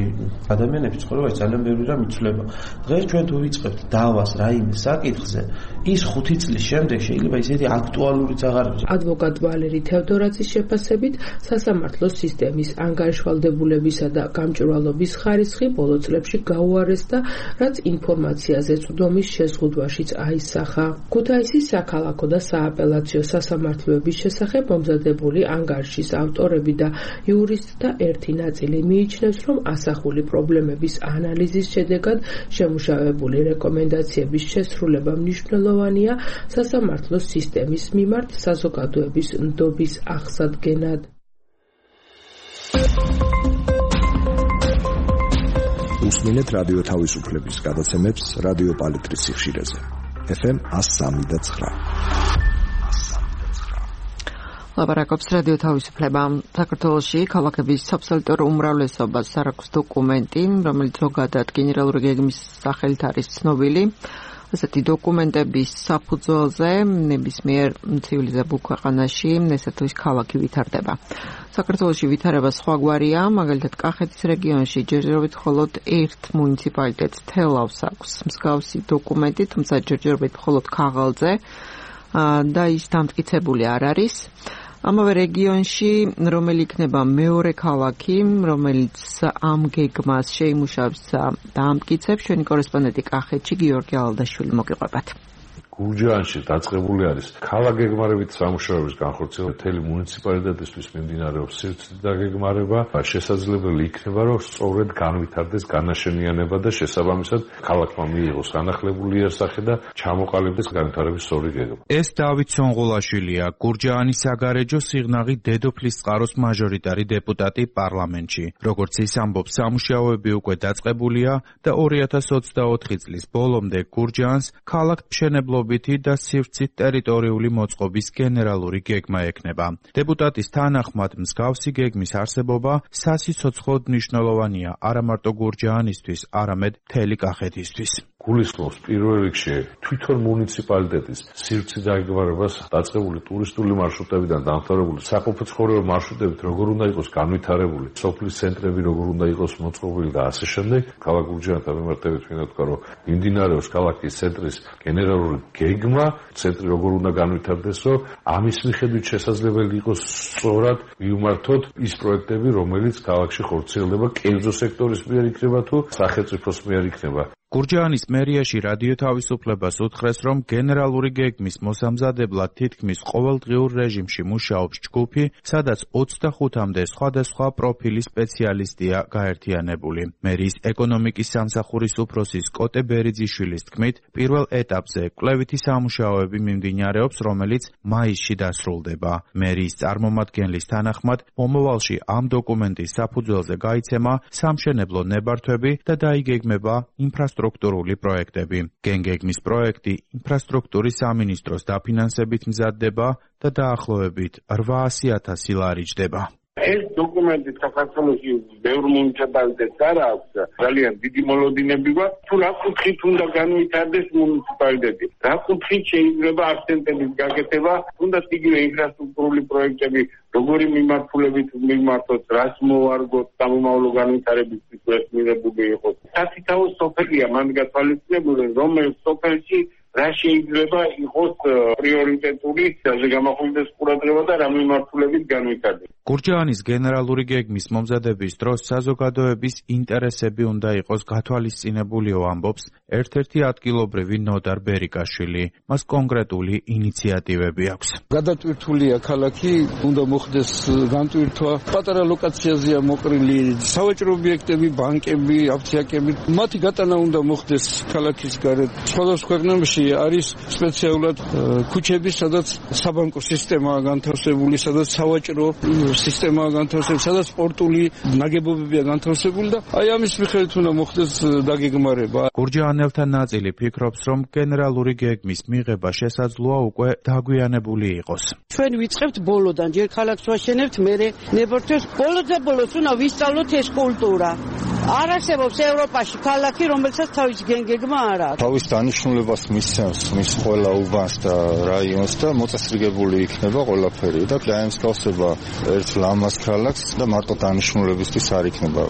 ადამიანების ცხოვრებაში ძალიან ბევრი რამ იცვლება. დღეს ჩვენ თუ ვიწყებთ დავას რაიმე საკითხზე, ის ხუთი წლის შემდეგ შეიძლება ისეთი აქტუალურიც აღარ იყოს. ადვოკატ ვალერი თევდორაძის შეფასებით, სასამართლოს სისტემის ანგარიშვალდებულებისა და გამჭვირვალობის ხარისხი ბოლო წლებში გაუარესდა, რაც ინფორმაციაზე წვდომის შეზღუდვაშიც აისახა. ქუთაისის საქალაქო და სააპელაციო სასამართლოების შესახებ მომზადებული ანგარიშის ავტორები და იურისტთა ერთი ნაწილი მიიჩნევს, რომ ასახული პრობლემების ანალიზის შედეგად შემუშავებული რეკომენდაციების შესრულება მნიშვნელოვანია სასამართლოს სისტემის მიმართ საზოგადოების ნდობის აღსადგენად. უსმინეთ რადიო თავისუფლების გადაცემებს რადიო პალიტრის სიხშირეზე. ეფ ემ one oh three point nine. ლაპარაკობს რადიო თავისუფლება. საქართველოში ქალაქების აბსოლუტურ უმრავლესობას არ აქვს დოკუმენტი, რომელიც ზოგადად გენერალური გეგმის სახელით არის ცნობილი. ასეთი დოკუმენტების საფუძველზე ნებისმიერ ცივილიზებულ ქვეყანაში ესეთის ქალაქი ვითარდება. საქართველოში ვითარება სხვაგვარია, მაგალითად კახეთის რეგიონში ჯერჯერობით მხოლოდ ერთ მუნიციპალიტეტს თელავს აქვს მსგავსი დოკუმენტი, თუმცა ჯერჯერობით მხოლოდ ქაღალდზე და ის დამტკიცებული არ არის. ამავე რეგიონში, რომელი იქნება მეორე ქალაქი, რომელიც ამ გეგმას შეიმუშავებს და ამტკიცებს, ჩვენი კორესპონდენტი კახეთში გიორგი ალადაშვილი მოგიყვებათ. გურჯაანში დაწყებული არის ქალაქგეგმარებით სამუშაოების განხორციელება. მთელი მუნიციპალიტეტისთვის მიმდინარეობს სივრცის დაგეგმარება. შესაძლებელი იქნება, რომ სწორედ განვითარდეს განაშენიანება და შესაბამისად ქალაქმა მიიღოს განახლებული იერსახე და ჩამოყალიბდეს განვითარების სწორი გეგმა. ეს დავით სონღოლაშვილია, გურჯაანის საგარეჯო სიღნაღი დედოფლის წყაროს მაჟორიტარი დეპუტატი პარლამენტში. როგორც ის ამბობს, სამუშაოები უკვე დაწყებულია და ორი ათას ოცდაოთხი წლის ბოლომდე გურჯაანს ქალაქ მშენებლობის მდგომარეობითი და სივრცით ტერიტორიული მოწყობის გენერალური გეგმა ექნება. დეპუტატის თანახმად მსგავსი გეგმის არსებობა სასიცოცხლოდ მნიშვნელოვანია არა მარტო გურჯაანისთვის, არამედ მთელი კახეთისთვის. გულისხმობს პირველ რიგში თვითონ მუნიციპალიტეტის სივრცის დაგეგმარებას დაწყებული ტურისტული მარშრუტებიდან დამთავრებული საყოფაცხოვრებო მარშრუტებით როგორ უნდა იყოს განვითარებული, სოფლის ცენტრები როგორ უნდა იყოს მოწყობილი და ასე შემდეგ. ქალაქ გურჯაანთან მიმართებით მინდა ვთქვა, რომ მიმდინარეობს ქალაქის ცენტრის გენერალური გეგმა, ცენტრი როგორ უნდა განვითარდეს, რომ ამის მიხედვით შესაძლებელი იყოს სწორად მივმართოთ ის პროექტები, რომელიც ქალაქში ხორციელდება, კერძო სექტორის მიერ იქნება თუ სახელმწიფოს მიერ იქნება. გურჯაანის მერიაში რადიო თავისუფლებას უთხრეს, რომ გენერალური გეგმის მოსამზადებლად თითქმის ყოველდღიურ რეჟიმში მუშაობს ჯგუფი, სადაც ოცდახუთამდე სხვადასხვა პროფილის სპეციალისტია გაერთიანებული. მერიის ეკონომიკის სამსახურის უფროსის კოტე ბერიძიშვილის თქმით, პირველ ეტაპზე კვლევითი სამუშაოები მიმდინარეობს, რომელიც მაისში დასრულდება. მერიის წარმომადგენლის თანახმად, მომავალში ამ დოკუმენტის საფუძველზე გაიცემა სამშენებლო ნებართვები და დაიგეგმება ინფრასტრუქტურული სტრუქტურული პროექტები. გენგეგმის პროექტი ინფრასტრუქტურის სამინისტროს დაფინანსებით მზადდება და დაახლოებით რვაასი ათასი ლარი ჯდება. ეს დოკუმენტი საქართველოში ბევრ მუნიციპალიტეტს არ აქვს ძალიან დიდი მოლოდინები გვაქვს თუ რა კუთხით უნდა განვითარდეს მუნიციპალიტეტი, რა კუთხით შეიძლება აქცენტების გაკეთება, თუნდაც იგივე ინფრასტრუქტურული პროექტები როგორი მიმართულებით მიმართოთ, რას მოვარგოთ სამომავლო განვითარებისთვის ეს მიღებული იყოს. სასითაო სოფელია მან გათვალისწინებული, რომელ სოფელში რა შეიძლება იყოს პრიორიტეტული და გამახვილდეს ყურადღება და რა მიმართულებით განვითარდეს. გურჯაანის გენერალური გეგმის მომზადების დროს საზოგადოების ინტერესები უნდა იყოს გათვალისწინებულიო, ამბობს ერთ-ერთი ადგილობრივი ნოდარ ბერიკაშვილი. მას კონკრეტული ინიციატივები აქვს. გადატვირთულია ქალაქი, უნდა მოხდეს განტვირთვა, პატარა ლოკაციაზეა მოყრილი სავაჭრო ობიექტები, ბანკები, აფთიაქები. მათი გატანა უნდა მოხდეს ქალაქის გარეთ. სხვადასხვა ქვეყნებში არის სპეციალურად ქუჩები, სადაც საბანკო სისტემაა განთავსებული, სადაც სავაჭრო სისტემაა განთავსებული, სადაც სპორტული ნაგებობებია განთავსებული და აი ამის მიხედვით უნდა მოხდეს დაგეგმარება. გურჯაანელთა ნაწილი ფიქრობს, რომ გენერალური გეგმის მიღება შესაძლოა უკვე დაგვიანებული იყოს. ჩვენ ვიწყებთ ბოლოდან, ჯერ ქალაქს ვაშენებთ, მერე ნებართვებს. ბოლოდზე ბოლოს უნდა ვისწავლოთ ეს კულტურა. არ არსებობს ევროპაში ქალაქი, რომელსაც თავის გენგეგმა არ აქვს. თავის დანიშნულებას მისცემს მის ყველა უბანს და რაიონს და მოწესრიგებული იქნება ყველაფერი და დაემსგავსება ერთ ლამაზ ქალაქს და მარტო დანიშნულებისთვის არ იქნება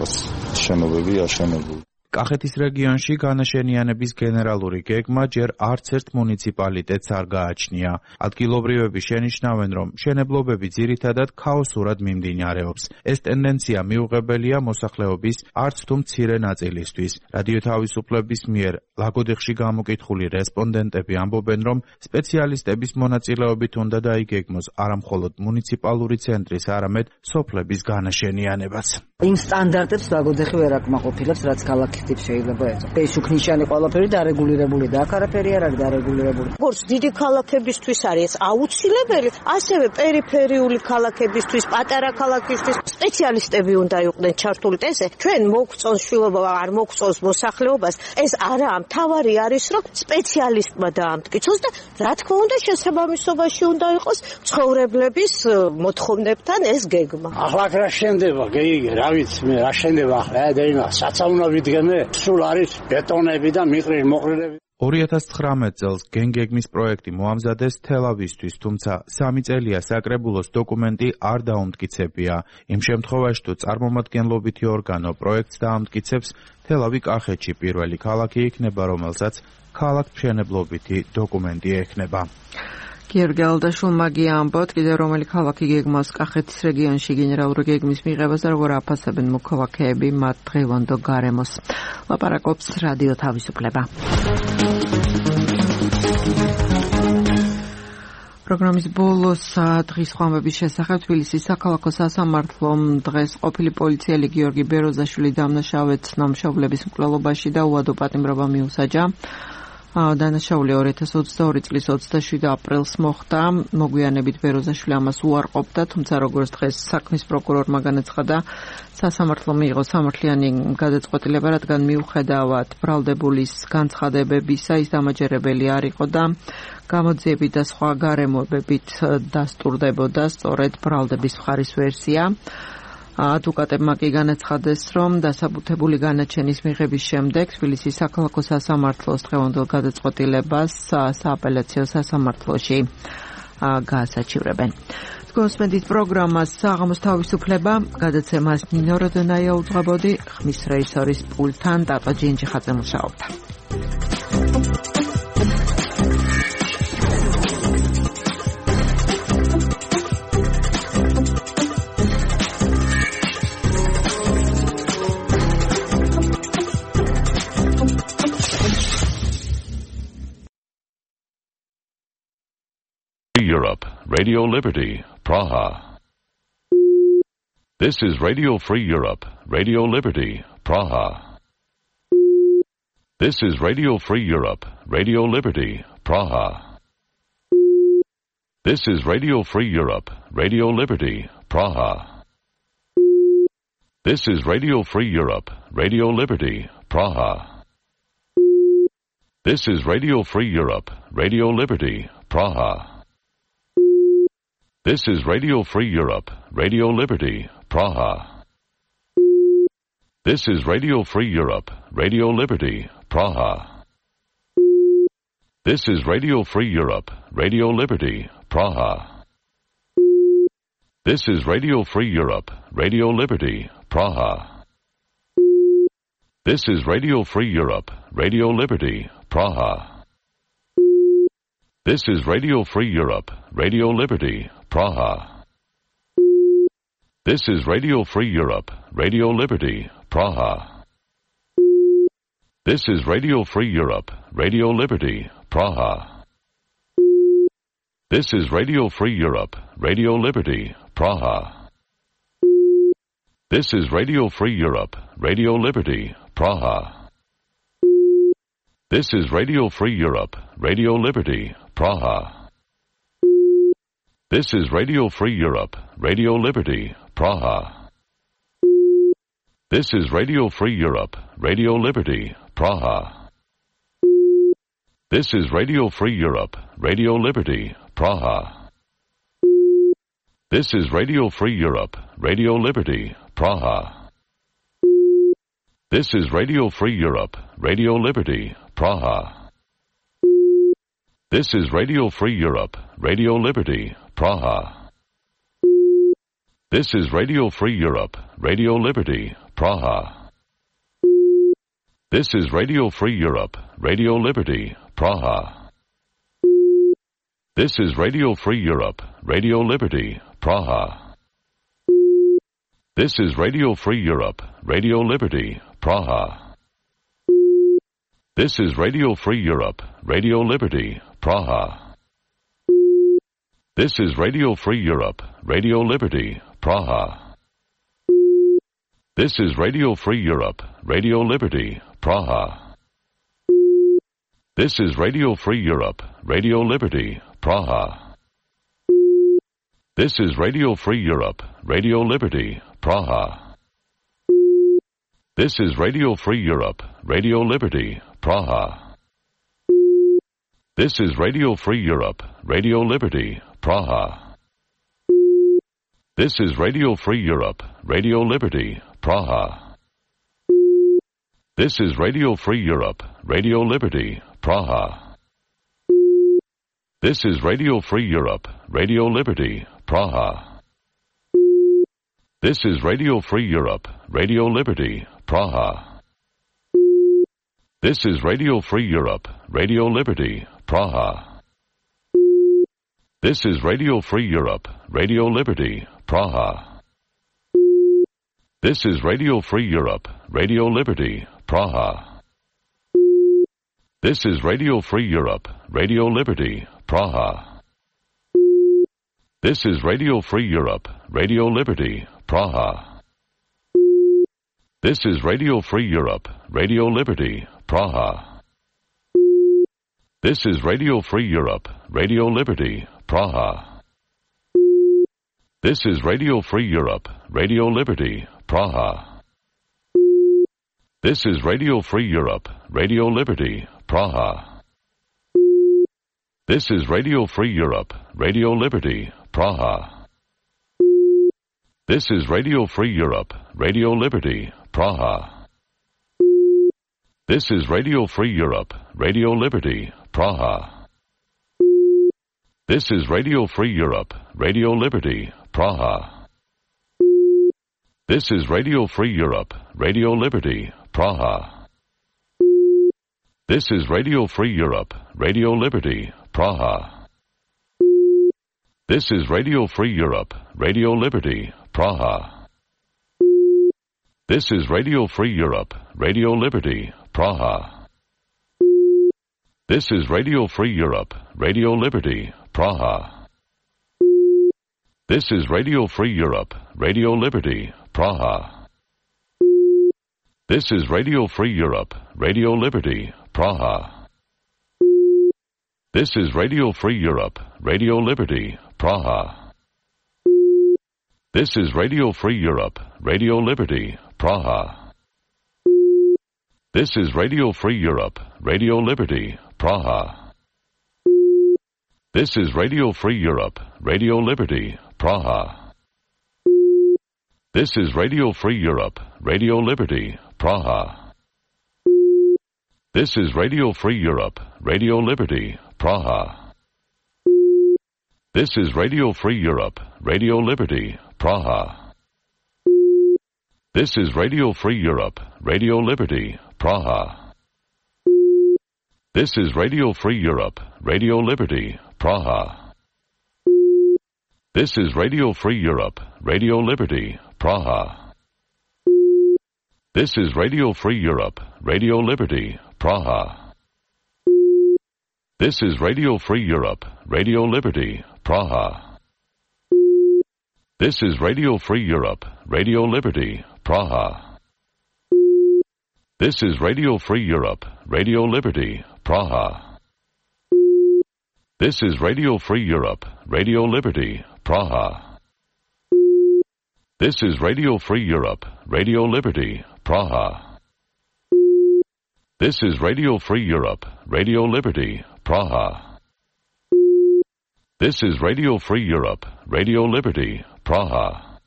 შენობები აშენებული. კახეთის რეგიონში განაშენიანების გენერალური გეგმა ჯერ არც ერთ მუნიციპალიტეტს არ გააჩნია. ადგილობრივები შენიშნავენ, რომ მშენებლობები ძირითადად ქაოსურად მიმდინარეობს. ეს ტენდენცია მიუღებელია მოსახლეობის არც თუ მცირე ნაწილისთვის. რადიო თავისუფლების მიერ ლაგოდეხში გამოკითხული რესპონდენტები ამბობენ, რომ სპეციალისტების მონაწილეობით უნდა დაიგეგმოს არა მხოლოდ მუნიციპალური ცენტრის, არამედ სოფლების განაშენიანებას. იმ სტანდარტებს ლაგოდეხი ვერ აკმაყოფილებს, რაც ქალაქი ტიპ შეიძლება ეწოს. ეს უკნიშანი ყველაფერი დარეგულირებული და აქ არაფერი არ არის დარეგულირებული. როგორც დიდი ქალაქებისთვის არის აუცილებელი, ასევე პერიფერიული ქალაქებისთვის, პატარა ქალაქისთვის სპეციალისტები უნდა იყვნენ ჩართული. ესე ჩვენ მოგწონს შვილობა, არ მოგწონს მოსახლეობას, ეს არაა, მთავარი არის, რომ სპეციალისტმა დაამტკიცოს და რა თქმა უნდა შესაბამისობაში უნდა იყოს ცხოვრებლების მოთხოვნებთან ეს გეგმა. ახლა რა შენდება, გეიგე, რა ვიცი მე, რა შენდება ახლა, და იმა საწაუნა ვიდგენ სულ არის ბეტონები და მიყრილი მოყრილები. ორი ათას ცხრამეტ წელს გენგეგმის პროექტი მოამზადეს თელავისთვის, თუმცა სამი წელია საკრებულოს დოკუმენტი არ დაუმტკიცებია. იმ შემთხვევაში თუ წარმომადგენლობითი ორგანო პროექტს დაამტკიცებს, თელავი კახეთში პირველი ქალაქი იქნება, რომელსაც ქალაქმშენებლობითი დოკუმენტი ექნება. გიორგი ალდაშვილმა ამბობთ, კიდევ რომელი ქალაქი გეგმავს კახეთის რეგიონში გენერალური გეგმის მიღებას და როგორ აფასებენ მოქალაქეები მათ დღევანდელ გარემოს. ლაპარაკობს რადიო თავისუფლება. პროგრამის ბოლოს დღის ხვამების შესახებ თბილისის საქალაქო სასამართლომ დღეს ყოფილი პოლიციელი გიორგი ბეროზაშვილი დამნაშავედ ცნამშობლების მკვლელობაში და უადო პატიმრობა მიუსაჯა. დანაშაული ორი ათას ოცდაორი წლის ოცდაშვიდი აპრილს მოხდა. მოგვიანებით ბეროზაშვილი ამას უარყოფდა, თუმცა როგორც დღეს საქმის პროკურორმა განაცხადა, სასამართლომ მიიღო სამართლიანი გადაწყვეტილება, რადგან მიუხედავად ბრალდებულის განცხადებებისა ის დამაჯერებელი არ იყო და გამოძიებით და სხვა გარემოებებით დასტურდებოდა სწორედ ბრალდების მხარის ვერსია. ადვოკატებმა კი განაცხადეს, რომ დასაბუთებული განაჩენის მიღების შემდეგ თბილისის საქალაქო სასამართლოს დღევანდელ გადაწყვეტილებას სააპელაციო სასამართლოში გაასაჩივრებენ. გოსმედით პროგრამას საღამოს თავისუფლება, გადაცემას ნინო როდონაია უძღვებოდი, ხმის რეჟისორის პულტთან ტატო ჯინჯიხაძე მუშაობდა. Europe, Radio Liberty, Praha. This is Radio Free Europe, Radio Liberty, Praha. This is Radio Free Europe, Radio Liberty, Praha. This is Radio Free Europe, Radio Liberty, Praha. This is Radio Free Europe, Radio Liberty, Praha. This is Radio Free Europe, Radio Liberty, Praha. This is Radio Free Europe, Radio Liberty, Praha. This is Radio Free Europe, Radio Liberty, Praha. This is Radio Free Europe, Radio Liberty, Praha. This is Radio Free Europe, Radio Liberty, Praha. This is Radio Free Europe, Radio Liberty, Praha. This is Radio Free Europe, Radio Liberty, Praha. This is Radio Free Europe, Radio Liberty, Praha. This is Radio Free Europe, Radio Liberty, Praha. This is Radio Free Europe, Radio Liberty, Praha. This is Radio Free Europe, Radio Liberty, Praha. This is Radio Free Europe, Radio Liberty, Praha. This is Radio Free Europe, Radio Liberty, Praha. This is Radio Free Europe, Radio Liberty, Praha. This is Radio Free Europe, Radio Liberty, Praha. This is Radio Free Europe, Radio Liberty, Praha. This is Radio Free Europe, Radio Liberty, Praha. This is Radio Free Europe, Radio Liberty, Praha. This is Radio Free Europe, Radio Liberty, Praha. This is Radio Free Europe, Radio Liberty, Praha. This is Radio Free Europe, Radio Liberty, Praha. This is Radio Free Europe, Radio Liberty, Praha. This is Radio Free Europe, Radio Liberty, Praha. This is Radio Free Europe, Radio Liberty, Praha. This is Radio Free Europe, Radio Liberty, Praha. This is Radio Free Europe, Radio Liberty, Praha. This is Radio Free Europe, Radio Liberty, Praha. This is Radio Free Europe, Radio Liberty, Praha. This is Radio Free Europe, Radio Liberty, Praha. This is Radio Free Europe, Radio Liberty, Praha. This is Radio Free Europe, Radio Liberty, Praha. This is Radio Free Europe, Radio Liberty, Praha. This is Radio Free Europe, Radio Liberty, Praha. This is Radio Free Europe, Radio Liberty, Praha. This is Radio Free Europe, Radio Liberty, Praha. This is Radio Free Europe, Radio Liberty, Praha. This is Radio Free Europe, Radio Liberty, Praha. This is Radio Free Europe, Radio Liberty, Praha. This is Radio Free Europe, Radio Liberty, Praha. This is Radio Free Europe, Radio Liberty, Praha. This is Radio Free Europe, Radio Liberty, Praha. This is Radio Free Europe, Radio Liberty, Praha. This is Radio Free Europe, Radio Liberty, Praha. This is Radio Free Europe, Radio Liberty, Praha. This is Radio Free Europe, Radio Liberty, Praha. This is Radio Free Europe, Radio Liberty, Praha. This is Radio Free Europe, Radio Liberty, Praha. This is Radio Free Europe, Radio Liberty, Praha. This is Radio Free Europe, Radio Liberty, Praha. This is Radio Free Europe, Radio Liberty, Praha. This is Radio Free Europe, Radio Liberty, Praha. This is Radio Free Europe, Radio Liberty, Praha. This is Radio Free Europe, Radio Liberty, Praha. This is Radio Free Europe, Radio Liberty, Praha. This is Radio Free Europe, Radio Liberty, Praha. This is Radio Free Europe, Radio Liberty, Praha. This is Radio Free Europe, Radio Liberty, Praha. This is Radio Free Europe, Radio Liberty, Praha. This is Radio Free Europe, Radio Liberty, Praha. This is Radio Free Europe, Radio Liberty, Praha. This is Radio Free Europe, Radio Liberty, Praha. This is Radio Free Europe, Radio Liberty, Praha. This is Radio Free Europe, Radio Liberty, Praha. This is Radio Free Europe, Radio Liberty, Praha. This is Radio Free Europe, Radio Liberty, Praha. This is Radio Free Europe, Radio Liberty, Praha. This is Radio Free Europe, Radio Liberty, Praha. This is Radio Free Europe, Radio Liberty, Praha. This is Radio Free Europe, Radio Liberty, Praha. This is Radio Free Europe, Radio Liberty, Praha. This is Radio Free Europe, Radio Liberty, Praha.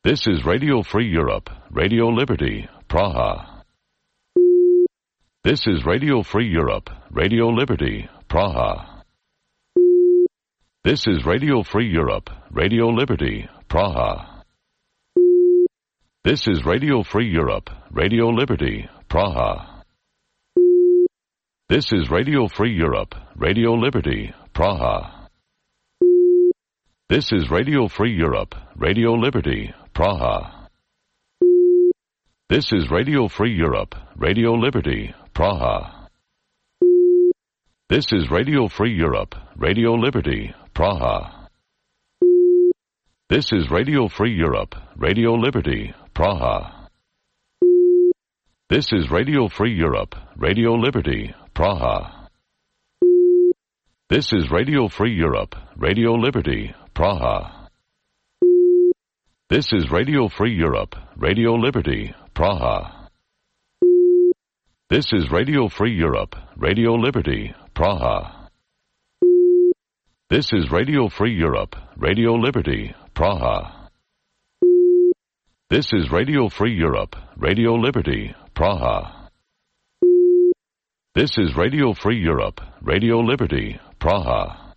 This is Radio Free Europe, Radio Liberty, Praha. This is Radio Free Europe, Radio Liberty, Praha. This is Radio Free Europe, Radio Liberty, Praha. This is Radio Free Europe, Radio Liberty, Praha. This is Radio Free Europe, Radio Liberty, Praha. This is Radio Free Europe, Radio Liberty, Praha. This is Radio Free Europe, Radio Liberty, Praha. This is Radio Free Europe, Radio Liberty, Praha. This is Radio Free Europe, Radio Liberty, Praha. This is Radio Free Europe, Radio Liberty, Praha. This is Radio Free Europe, Radio Liberty, Praha. This is Radio Free Europe, Radio Liberty, Praha. This is Radio Free Europe, Radio Liberty, Praha. This is Radio Free Europe, Radio Liberty, Praha. This is Radio Free Europe, Radio Liberty, Praha. This is Radio Free Europe, Radio Liberty, Praha.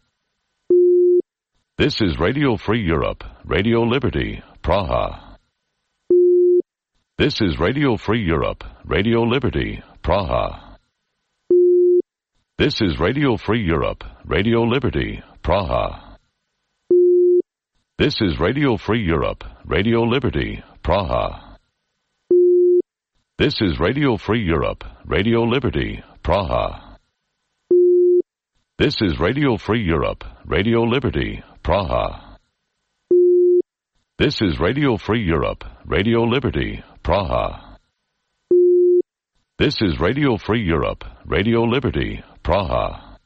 This is Radio Free Europe, Radio Liberty, Praha. This is Radio Free Europe, Radio Liberty, Praha. This is Radio Free Europe, Radio Liberty, Praha. This is Radio Free Europe, Radio Liberty, Praha. This is Radio Free Europe, Radio Liberty, Praha. This is Radio Free Europe, Radio Liberty, Praha. This is Radio Free Europe, Radio Liberty, Praha. This is Radio Free Europe, Radio Liberty, Praha.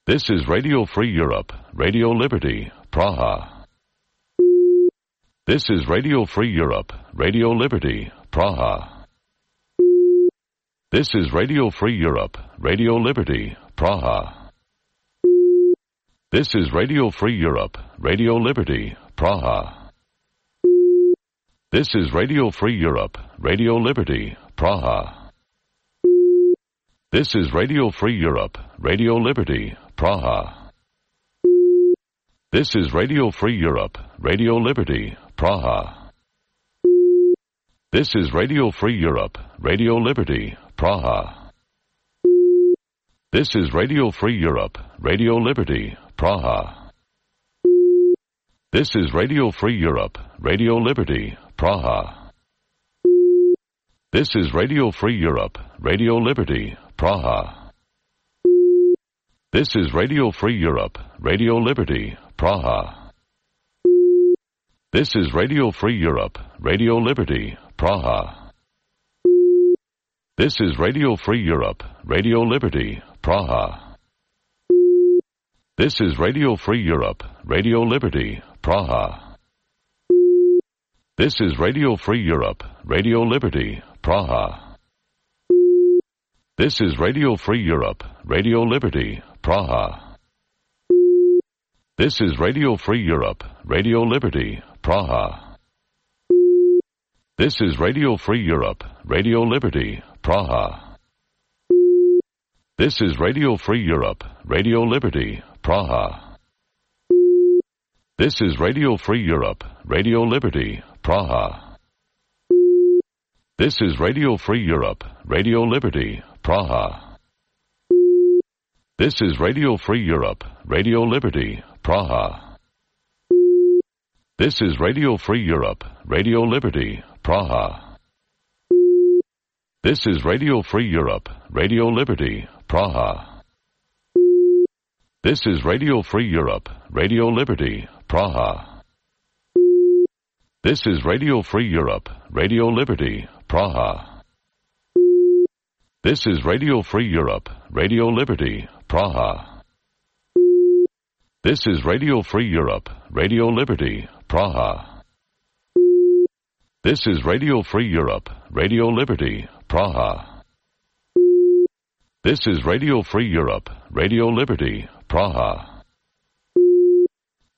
This is Radio Free Europe, Radio Liberty, Praha. This is Radio Free Europe, Radio Liberty, Praha. This is Radio Free Europe, Radio Liberty, Praha. This is Radio Free Europe, Radio Liberty, Praha. This is Radio Free Europe, Radio Liberty, Praha. This is Radio Free Europe, Radio Liberty, Praha. This is Radio Free Europe, Radio Liberty, Praha. This is Radio Free Europe, Radio Liberty, Praha. This is Radio Free Europe, Radio Liberty, Praha. This is Radio Free Europe, Radio Liberty, Praha. This is Radio Free Europe, Radio Liberty, Praha. This is Radio Free Europe, Radio Liberty, Praha. This is Radio Free Europe, Radio Liberty, Praha. This is Radio Free Europe, Radio Liberty, Praha. This is Radio Free Europe, Radio Liberty, Praha. This is Radio Free Europe, Radio Liberty, Praha. This is Radio Free Europe, Radio Liberty, Praha. This is Radio Free Europe, Radio Liberty, Praha. This is Radio Free Europe, Radio Liberty, Praha. This is Radio Free Europe, Radio Liberty, Praha. This is Radio Free Europe, Radio Liberty, Praha. This is Radio Free Europe, Radio Liberty, Praha. This is Radio Free Europe, Radio Liberty, Praha. This is Radio Free Europe, Radio Liberty, Praha. This is Radio Free Europe, Radio Liberty, Praha. This is Radio Free Europe, Radio Liberty, Praha. This is Radio Free Europe, Radio Liberty, Praha. This is Radio Free Europe, Radio Liberty, Praha. This is Radio Free Europe, Radio Liberty, Praha. This is Radio Free Europe, Radio Liberty, Praha. This is Radio Free Europe, Radio Liberty, Praha.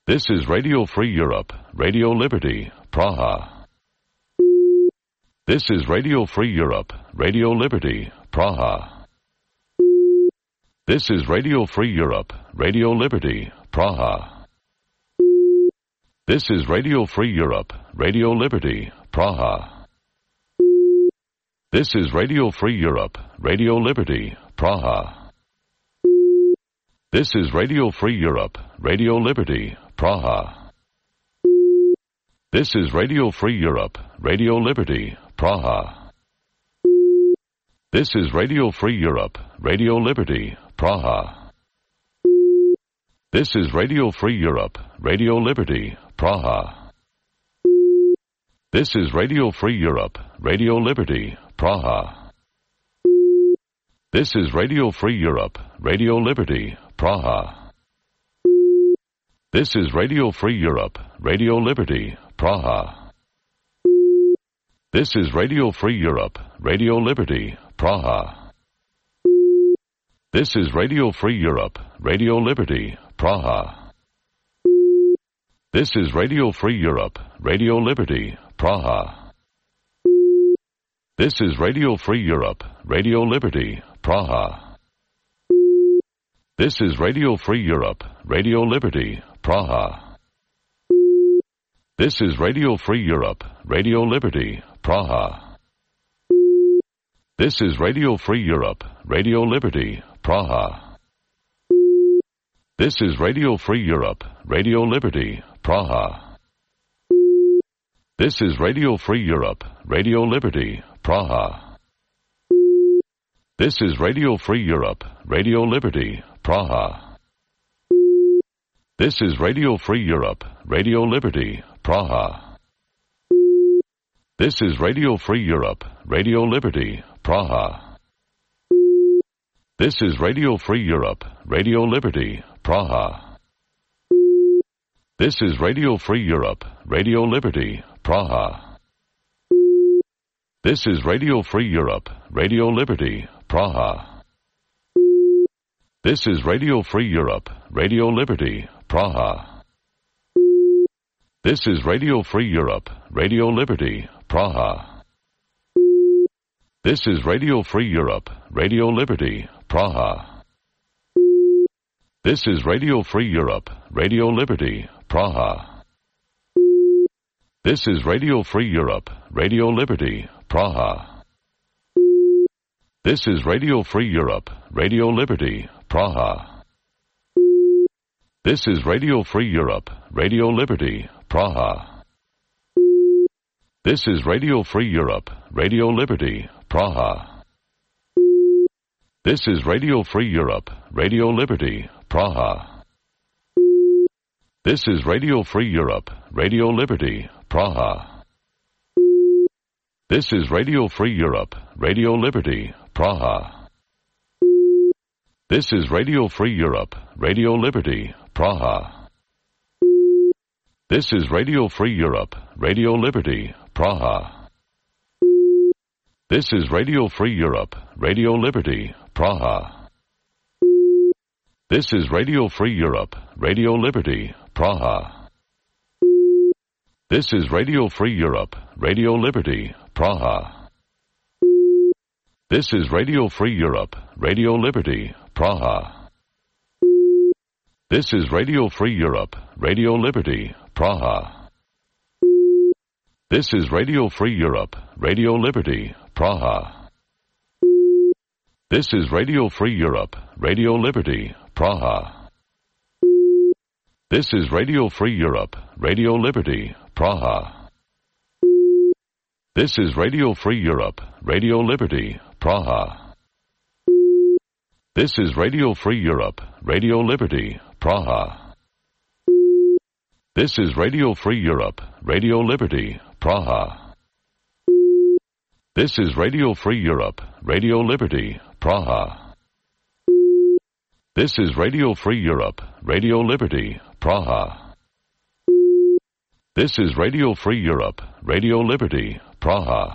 This is Radio Free Europe, Radio Liberty, Praha. This is Radio Free Europe, Radio Liberty, Praha. This is Radio Free Europe, Radio Liberty, Praha. This is Radio Free Europe, Radio Liberty, Praha. This is Radio Free Europe, Radio Liberty, Praha. This is Radio Free Europe, Radio Liberty, Praha. This is Radio Free Europe, Radio Liberty, Praha. This is Radio Free Europe, Radio Liberty, Praha. This is Radio Free Europe, Radio Liberty, Praha. This is Radio Free Europe, Radio Liberty, Praha. This is Radio Free Europe, Radio Liberty, Praha. This is Radio Free Europe, Radio Liberty, Praha. This is Radio Free Europe, Radio Liberty, Praha. This is Radio Free Europe, Radio Liberty, Praha. This is Radio Free Europe, Radio Liberty, Praha. This is Radio Free Europe, Radio Liberty, Praha. This is Radio Free Europe, Radio Liberty, Praha. This is Radio Free Europe, Radio Liberty, Praha. This is Radio Free Europe, Radio Liberty, Praha. This is Radio Free Europe, Radio Liberty, Praha. This is Radio Free Europe, Radio Liberty, Praha. This is Radio Free Europe, Radio Liberty, Praha. This is Radio Free Europe, Radio Liberty, Praha. This is Radio Free Europe, Radio Liberty, Praha. This is Radio Free Europe, Radio Liberty, Praha. This is Radio Free Europe, Radio Liberty, Praha. This is Radio Free Europe, Radio Liberty, Praha. This is Radio Free Europe, Radio Liberty, Praha. This is Radio Free Europe, Radio Liberty, Praha. This is Radio Free Europe, Radio Liberty, Praha. This is Radio Free Europe, Radio Liberty, Praha. This is Radio Free Europe, Radio Liberty, Praha. This is Radio Free Europe, Radio Liberty, Praha. This is Radio Free Europe, Radio Liberty, Praha. This is Radio Free Europe, Radio Liberty, Praha. This is Radio Free Europe, Radio Liberty, Praha. This is Radio Free Europe, Radio Liberty, Praha. This is Radio Free Europe, Radio Liberty, Praha. This is Radio Free Europe, Radio Liberty, Praha. This is Radio Free Europe, Radio Liberty, Praha. This is Radio Free Europe, Radio Liberty, Praha. This is Radio Free Europe, Radio Liberty, Praha. This is Radio Free Europe, Radio Liberty, Praha. This is Radio Free Europe, Radio Liberty, Praha. This is Radio Free Europe, Radio Liberty, Praha. This is Radio Free Europe, Radio Liberty, Praha. This is Radio Free Europe, Radio Liberty, Praha. This is Radio Free Europe, Radio Liberty, Praha. This is Radio Free Europe, Radio Liberty, Praha. This is Radio Free Europe, Radio Liberty, Praha. This is Radio Free Europe, Radio Liberty, Praha. This is Radio Free Europe, Radio Liberty, Praha. This is Radio Free Europe, Radio Liberty, Praha.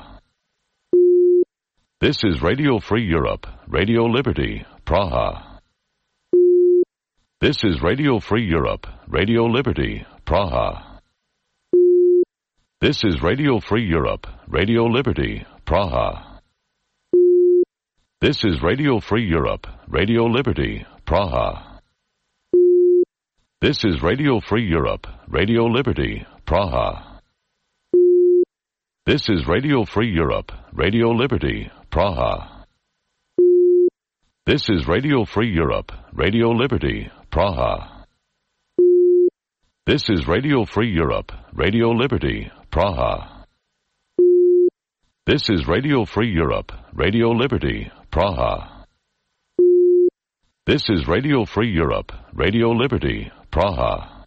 This is Radio Free Europe, Radio Liberty, Praha. This is Radio Free Europe, Radio Liberty, Praha. This is Radio Free Europe, Radio Liberty, Praha. This is Radio Free Europe, Radio Liberty, Praha. This is Radio Free Europe, Radio Liberty, Praha. This is Radio Free Europe, Radio Liberty, Praha. This is Radio Free Europe, Radio Liberty, Praha. This is Radio Free Europe, Radio Liberty, Praha. This is Radio Free Europe, Radio Liberty, Praha. This is Radio Free Europe, Radio Liberty, Praha. This is Radio Free Europe, Radio Liberty, Praha.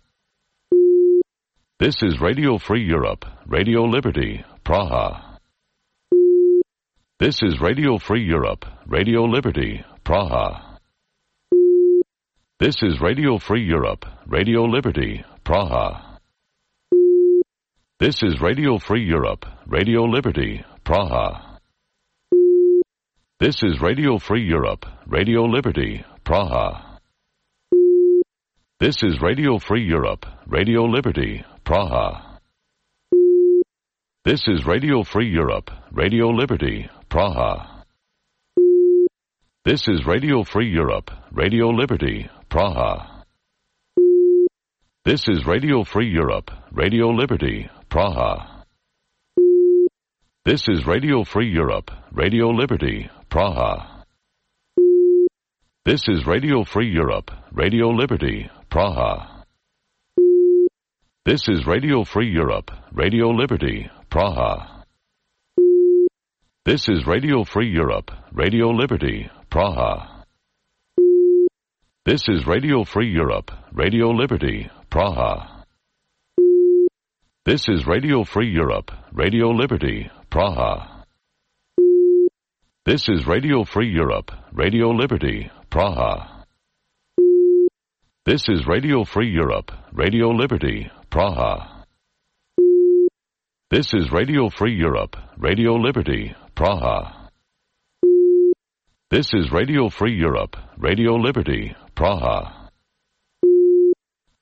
This is Radio Free Europe, Radio Liberty, Praha. This is Radio Free Europe, Radio Liberty, Praha. This is Radio Free Europe, Radio Liberty, Praha. This is Radio Free Europe, Radio Liberty, Praha. This is Radio Free Europe, Radio Liberty, Praha. This is Radio Free Europe, Radio Liberty, Praha. This is Radio Free Europe, Radio Liberty, Praha. This is Radio Free Europe, Radio Liberty, Praha. This is Radio Free Europe, Radio Liberty, Praha. This is Radio Free Europe, Radio Liberty, Praha. This is Radio Free Europe, Radio Liberty, Praha. This is Radio Free Europe, Radio Liberty, Praha. This is Radio Free Europe, Radio Liberty, Praha. This is Radio Free Europe, Radio Liberty, Praha. This is Radio Free Europe, Radio Liberty, Praha. This is Radio Free Europe, Radio Liberty, Praha. This is Radio Free Europe, Radio Liberty, Praha. This is Radio Free Europe, Radio Liberty, Praha. This is Radio Free Europe, Radio Liberty, Praha.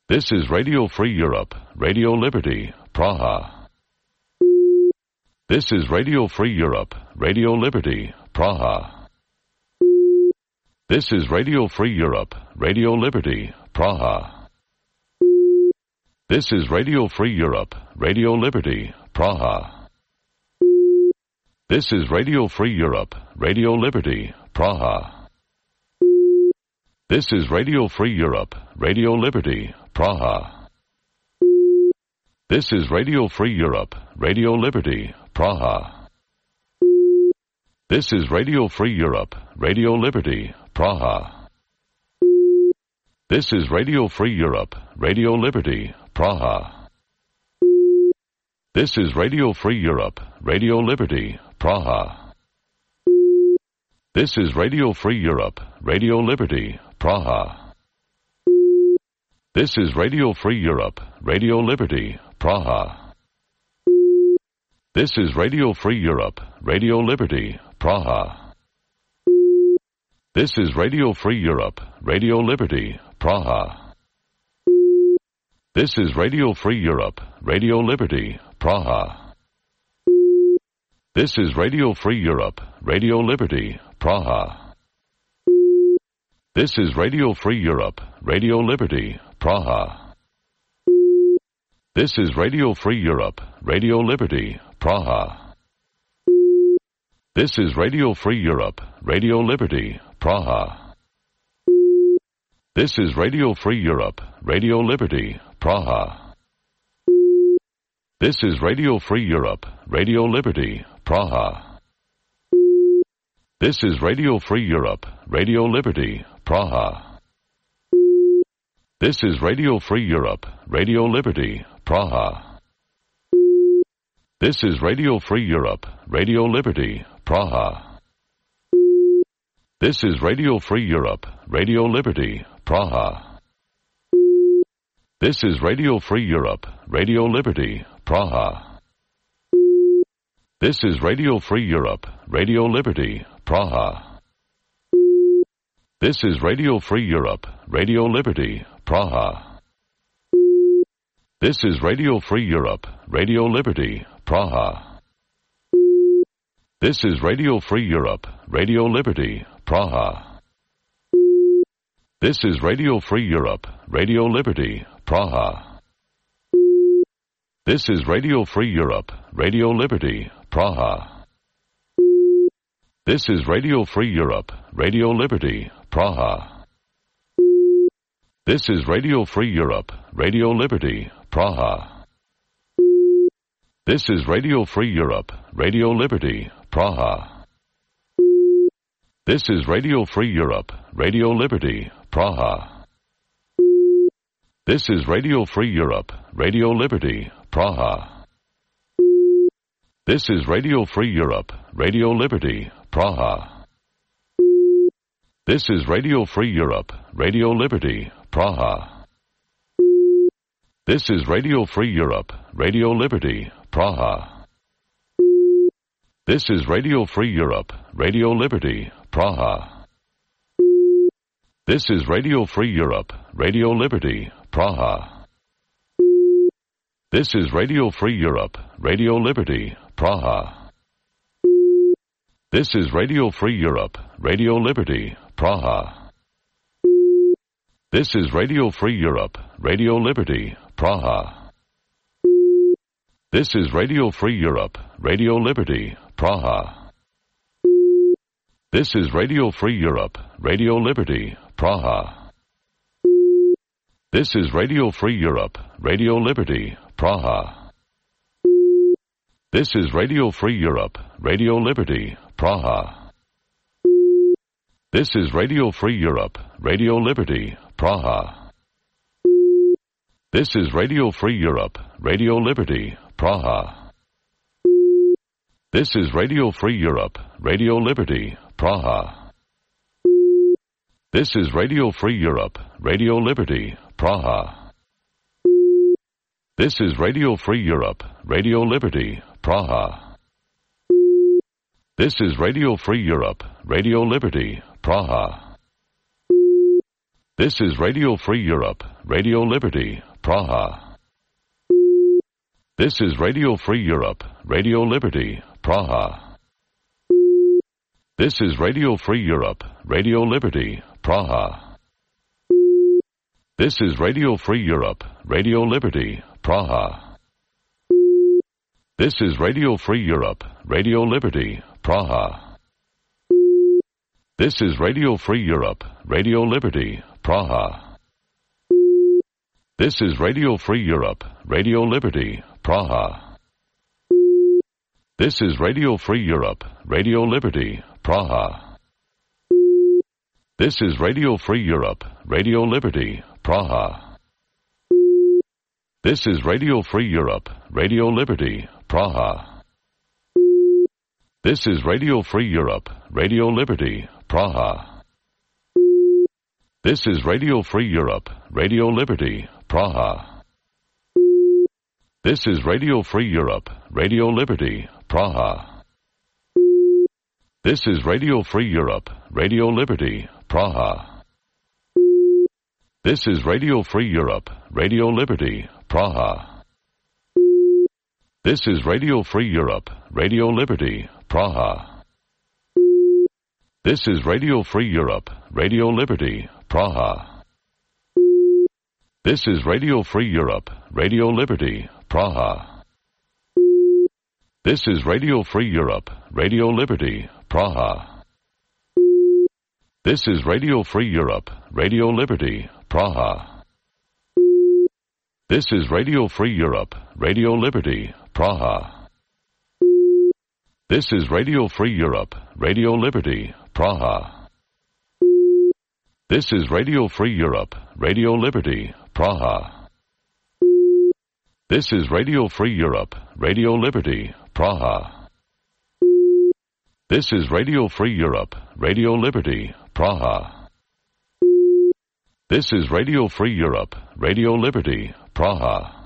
This is Radio Free Europe, Radio Liberty, Praha. This is Radio Free Europe, Radio Liberty, Praha. This is Radio Free Europe, Radio Liberty, Praha. This is Radio Free Europe, Radio Liberty, Praha. This is Radio Free Europe, Radio Liberty, Praha. This is Radio Free Europe, Radio Liberty, Praha. This is Radio Free Europe, Radio Liberty, Praha. This is Radio Free Europe, Radio Liberty, Praha. This is Radio Free Europe, Radio Liberty, Praha. This is Radio Free Europe, Radio Liberty, Praha. This is Radio Free Europe, Radio Liberty, Praha. This is Radio Free Europe, Radio Liberty, Praha. This is Radio Free Europe, Radio Liberty, Praha. This is Radio Free Europe, Radio Liberty, Praha. This is Radio Free Europe, Radio Liberty, Praha. This is Radio Free Europe, Radio Liberty, Praha. This is Radio Free Europe, Radio Liberty, Praha. This is Radio Free Europe, Radio Liberty, Praha. This is Radio Free Europe, Radio Liberty, Praha. This is Radio Free Europe, Radio Liberty, Praha. This is Radio Free Europe, Radio Liberty, Praha. This is Radio Free Europe, Radio Liberty, Praha. This is Radio Free Europe, Radio Liberty, Praha. This is Radio Free Europe, Radio Liberty, Praha. This is Radio Free Europe, Radio Liberty, Praha. This is Radio Free Europe, Radio Liberty, Praha. This is Radio Free Europe, Radio Liberty, Praha. This is Radio Free Europe, Radio Liberty, Praha. This is Radio Free Europe, Radio Liberty, Praha. This is Radio Free Europe, Radio Liberty, Praha. This is Radio Free Europe, Radio Liberty, Praha. This is Radio Free Europe, Radio Liberty, Praha. This is Radio Free Europe, Radio Liberty, Praha. This is Radio Free Europe, Radio Liberty, Praha. This is Radio Free Europe, Radio Liberty, Praha. This is Radio Free Europe, Radio Liberty, Praha. This is Radio Free Europe, Radio Liberty, Praha. This is Radio Free Europe, Radio Liberty, Praha. This is Radio Free Europe, Radio Liberty, Praha. This is Radio Free Europe, Radio Liberty, Praha. This is Radio Free Europe, Radio Liberty, Praha. This is Radio Free Europe, Radio Liberty, Praha. This is Radio Free Europe, Radio Liberty, Praha. This is Radio Free Europe, Radio Liberty, Praha. This is Radio Free Europe, Radio Liberty, Praha. This is Radio Free Europe, Radio Liberty, Praha. This is Radio Free Europe, Radio Liberty, Praha. This is Radio Free Europe, Radio Liberty, Praha. This is Radio Free Europe, Radio Liberty, Praha. This is Radio Free Europe, Radio Liberty, Praha. This is Radio Free Europe, Radio Liberty, Praha. This is Radio Free Europe, Radio Liberty, Praha. This is Radio Free Europe, Radio Liberty, Praha. This is Radio Free Europe, Radio Liberty, Praha. This is Radio Free Europe, Radio Liberty, Praha. This is Radio Free Europe, Radio Liberty, Praha. This is Radio Free Europe, Radio Liberty, Praha. This is Radio Free Europe, Radio Liberty, Praha. This is Radio Free Europe, Radio Liberty, Praha. This is Radio Free Europe, Radio Liberty, Praha. This is Radio Free Europe, Radio Liberty, Praha. This is Radio Free Europe, Radio Liberty, Praha. This is Radio Free Europe, Radio Liberty, Praha. This is Radio Free Europe, Radio Liberty, Praha. This is Radio Free Europe, Radio Liberty, Praha. This is Radio Free Europe, Radio Liberty, Praha. This is Radio Free Europe, Radio Liberty, Praha. This is Radio Free Europe, Radio Liberty, Praha. This is Radio Free Europe, Radio Liberty, Praha. This is Radio Free Europe, Radio Liberty, Praha. This is Radio Free Europe, Radio Liberty, Praha. This is Radio Free Europe, Radio Liberty, Praha. This is Radio Free Europe, Radio Liberty, Praha. This is Radio Free Europe, Radio Liberty, Praha. This is Radio Free Europe, Radio Liberty, Praha. This is Radio Free Europe, Radio Liberty, Praha. This is Radio Free Europe, Radio Liberty, Praha. This is Radio Free Europe, Radio Liberty, Praha. This is Radio Free Europe, Radio Liberty, Praha. This is Radio Free Europe, Radio Liberty, Praha. This is Radio Free Europe, Radio Liberty, Praha.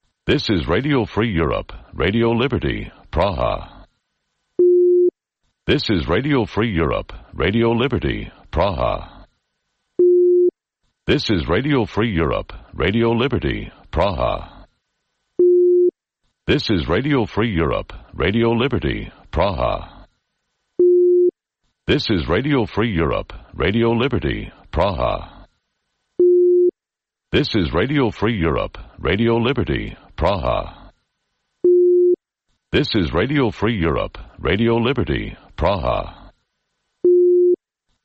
This is Radio Free Europe, Radio Liberty, Praha. This is Radio Free Europe, Radio Liberty, Praha. This is Radio Free Europe, Radio Liberty, Praha. This is Radio Free Europe, Radio Liberty, Praha. This is Radio Free Europe, Radio Liberty, Praha. This is Radio Free Europe, Radio Liberty, Praha. This is Radio Free Europe, Radio Liberty, Praha.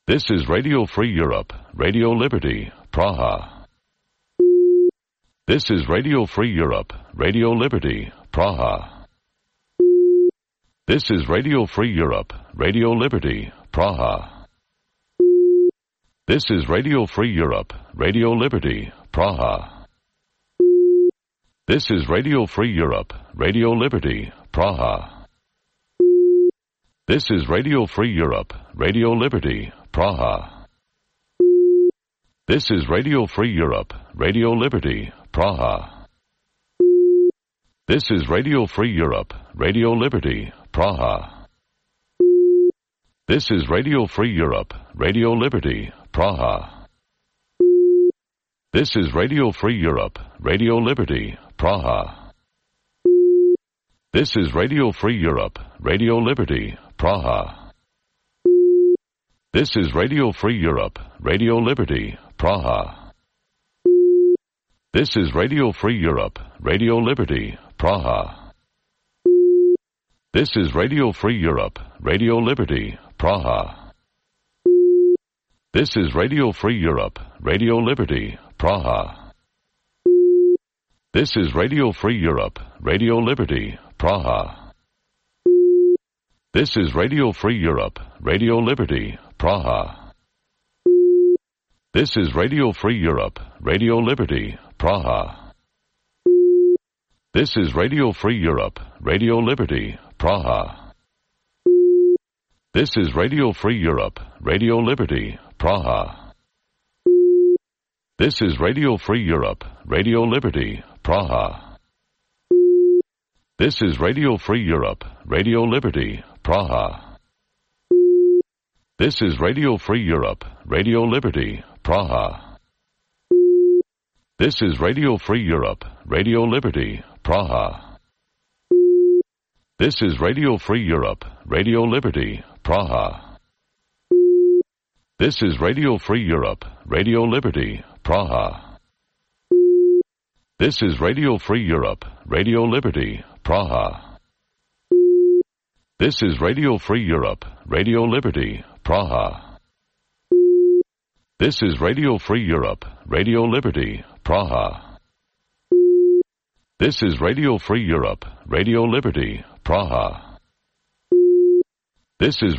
This is Radio Free Europe, Radio Liberty, Praha. This is Radio Free Europe, Radio Liberty, Praha. This is Radio Free Europe, Radio Liberty, Praha. This is Radio Free Europe, Radio Liberty, Praha. This is Radio Free Europe, Radio Liberty, Praha. This is Radio Free Europe, Radio Liberty, Praha. This is Radio Free Europe, Radio Liberty, Praha. This is Radio Free Europe, Radio Liberty, Praha. This is Radio Free Europe, Radio Liberty, Praha. This is Radio Free Europe, Radio Liberty, Praha. This is Radio Free Europe, Radio Liberty, Praha. This is Radio Free Europe, Radio Liberty, Praha. This is Radio Free Europe, Radio Liberty, Praha. This is Radio Free Europe, Radio Liberty, Praha. This is Radio Free Europe, Radio Liberty, Praha. This is Radio Free Europe, Radio Liberty, Praha. This is Radio Free Europe, Radio Liberty, Praha. This is Radio Free Europe, Radio Liberty, Praha. This is Radio Free Europe, Radio Liberty, Praha. This is Radio Free Europe, Radio Liberty, Praha. This is Radio Free Europe, Radio Liberty, Praha. This is Radio Free Europe, Radio Liberty, Praha. This is Radio Free Europe, Radio Liberty, Praha. This is Radio Free Europe, Radio Liberty, Praha. This is Radio Free Europe, Radio Liberty, Praha. This is Radio Free Europe, Radio Liberty, Praha. This is Radio Free Europe, Radio Liberty, Praha. This is Radio Free Europe, Radio Liberty, Praha. This is Radio Free Europe, Radio Liberty, Praha. This is Radio Free Europe, Radio Liberty, Praha. This is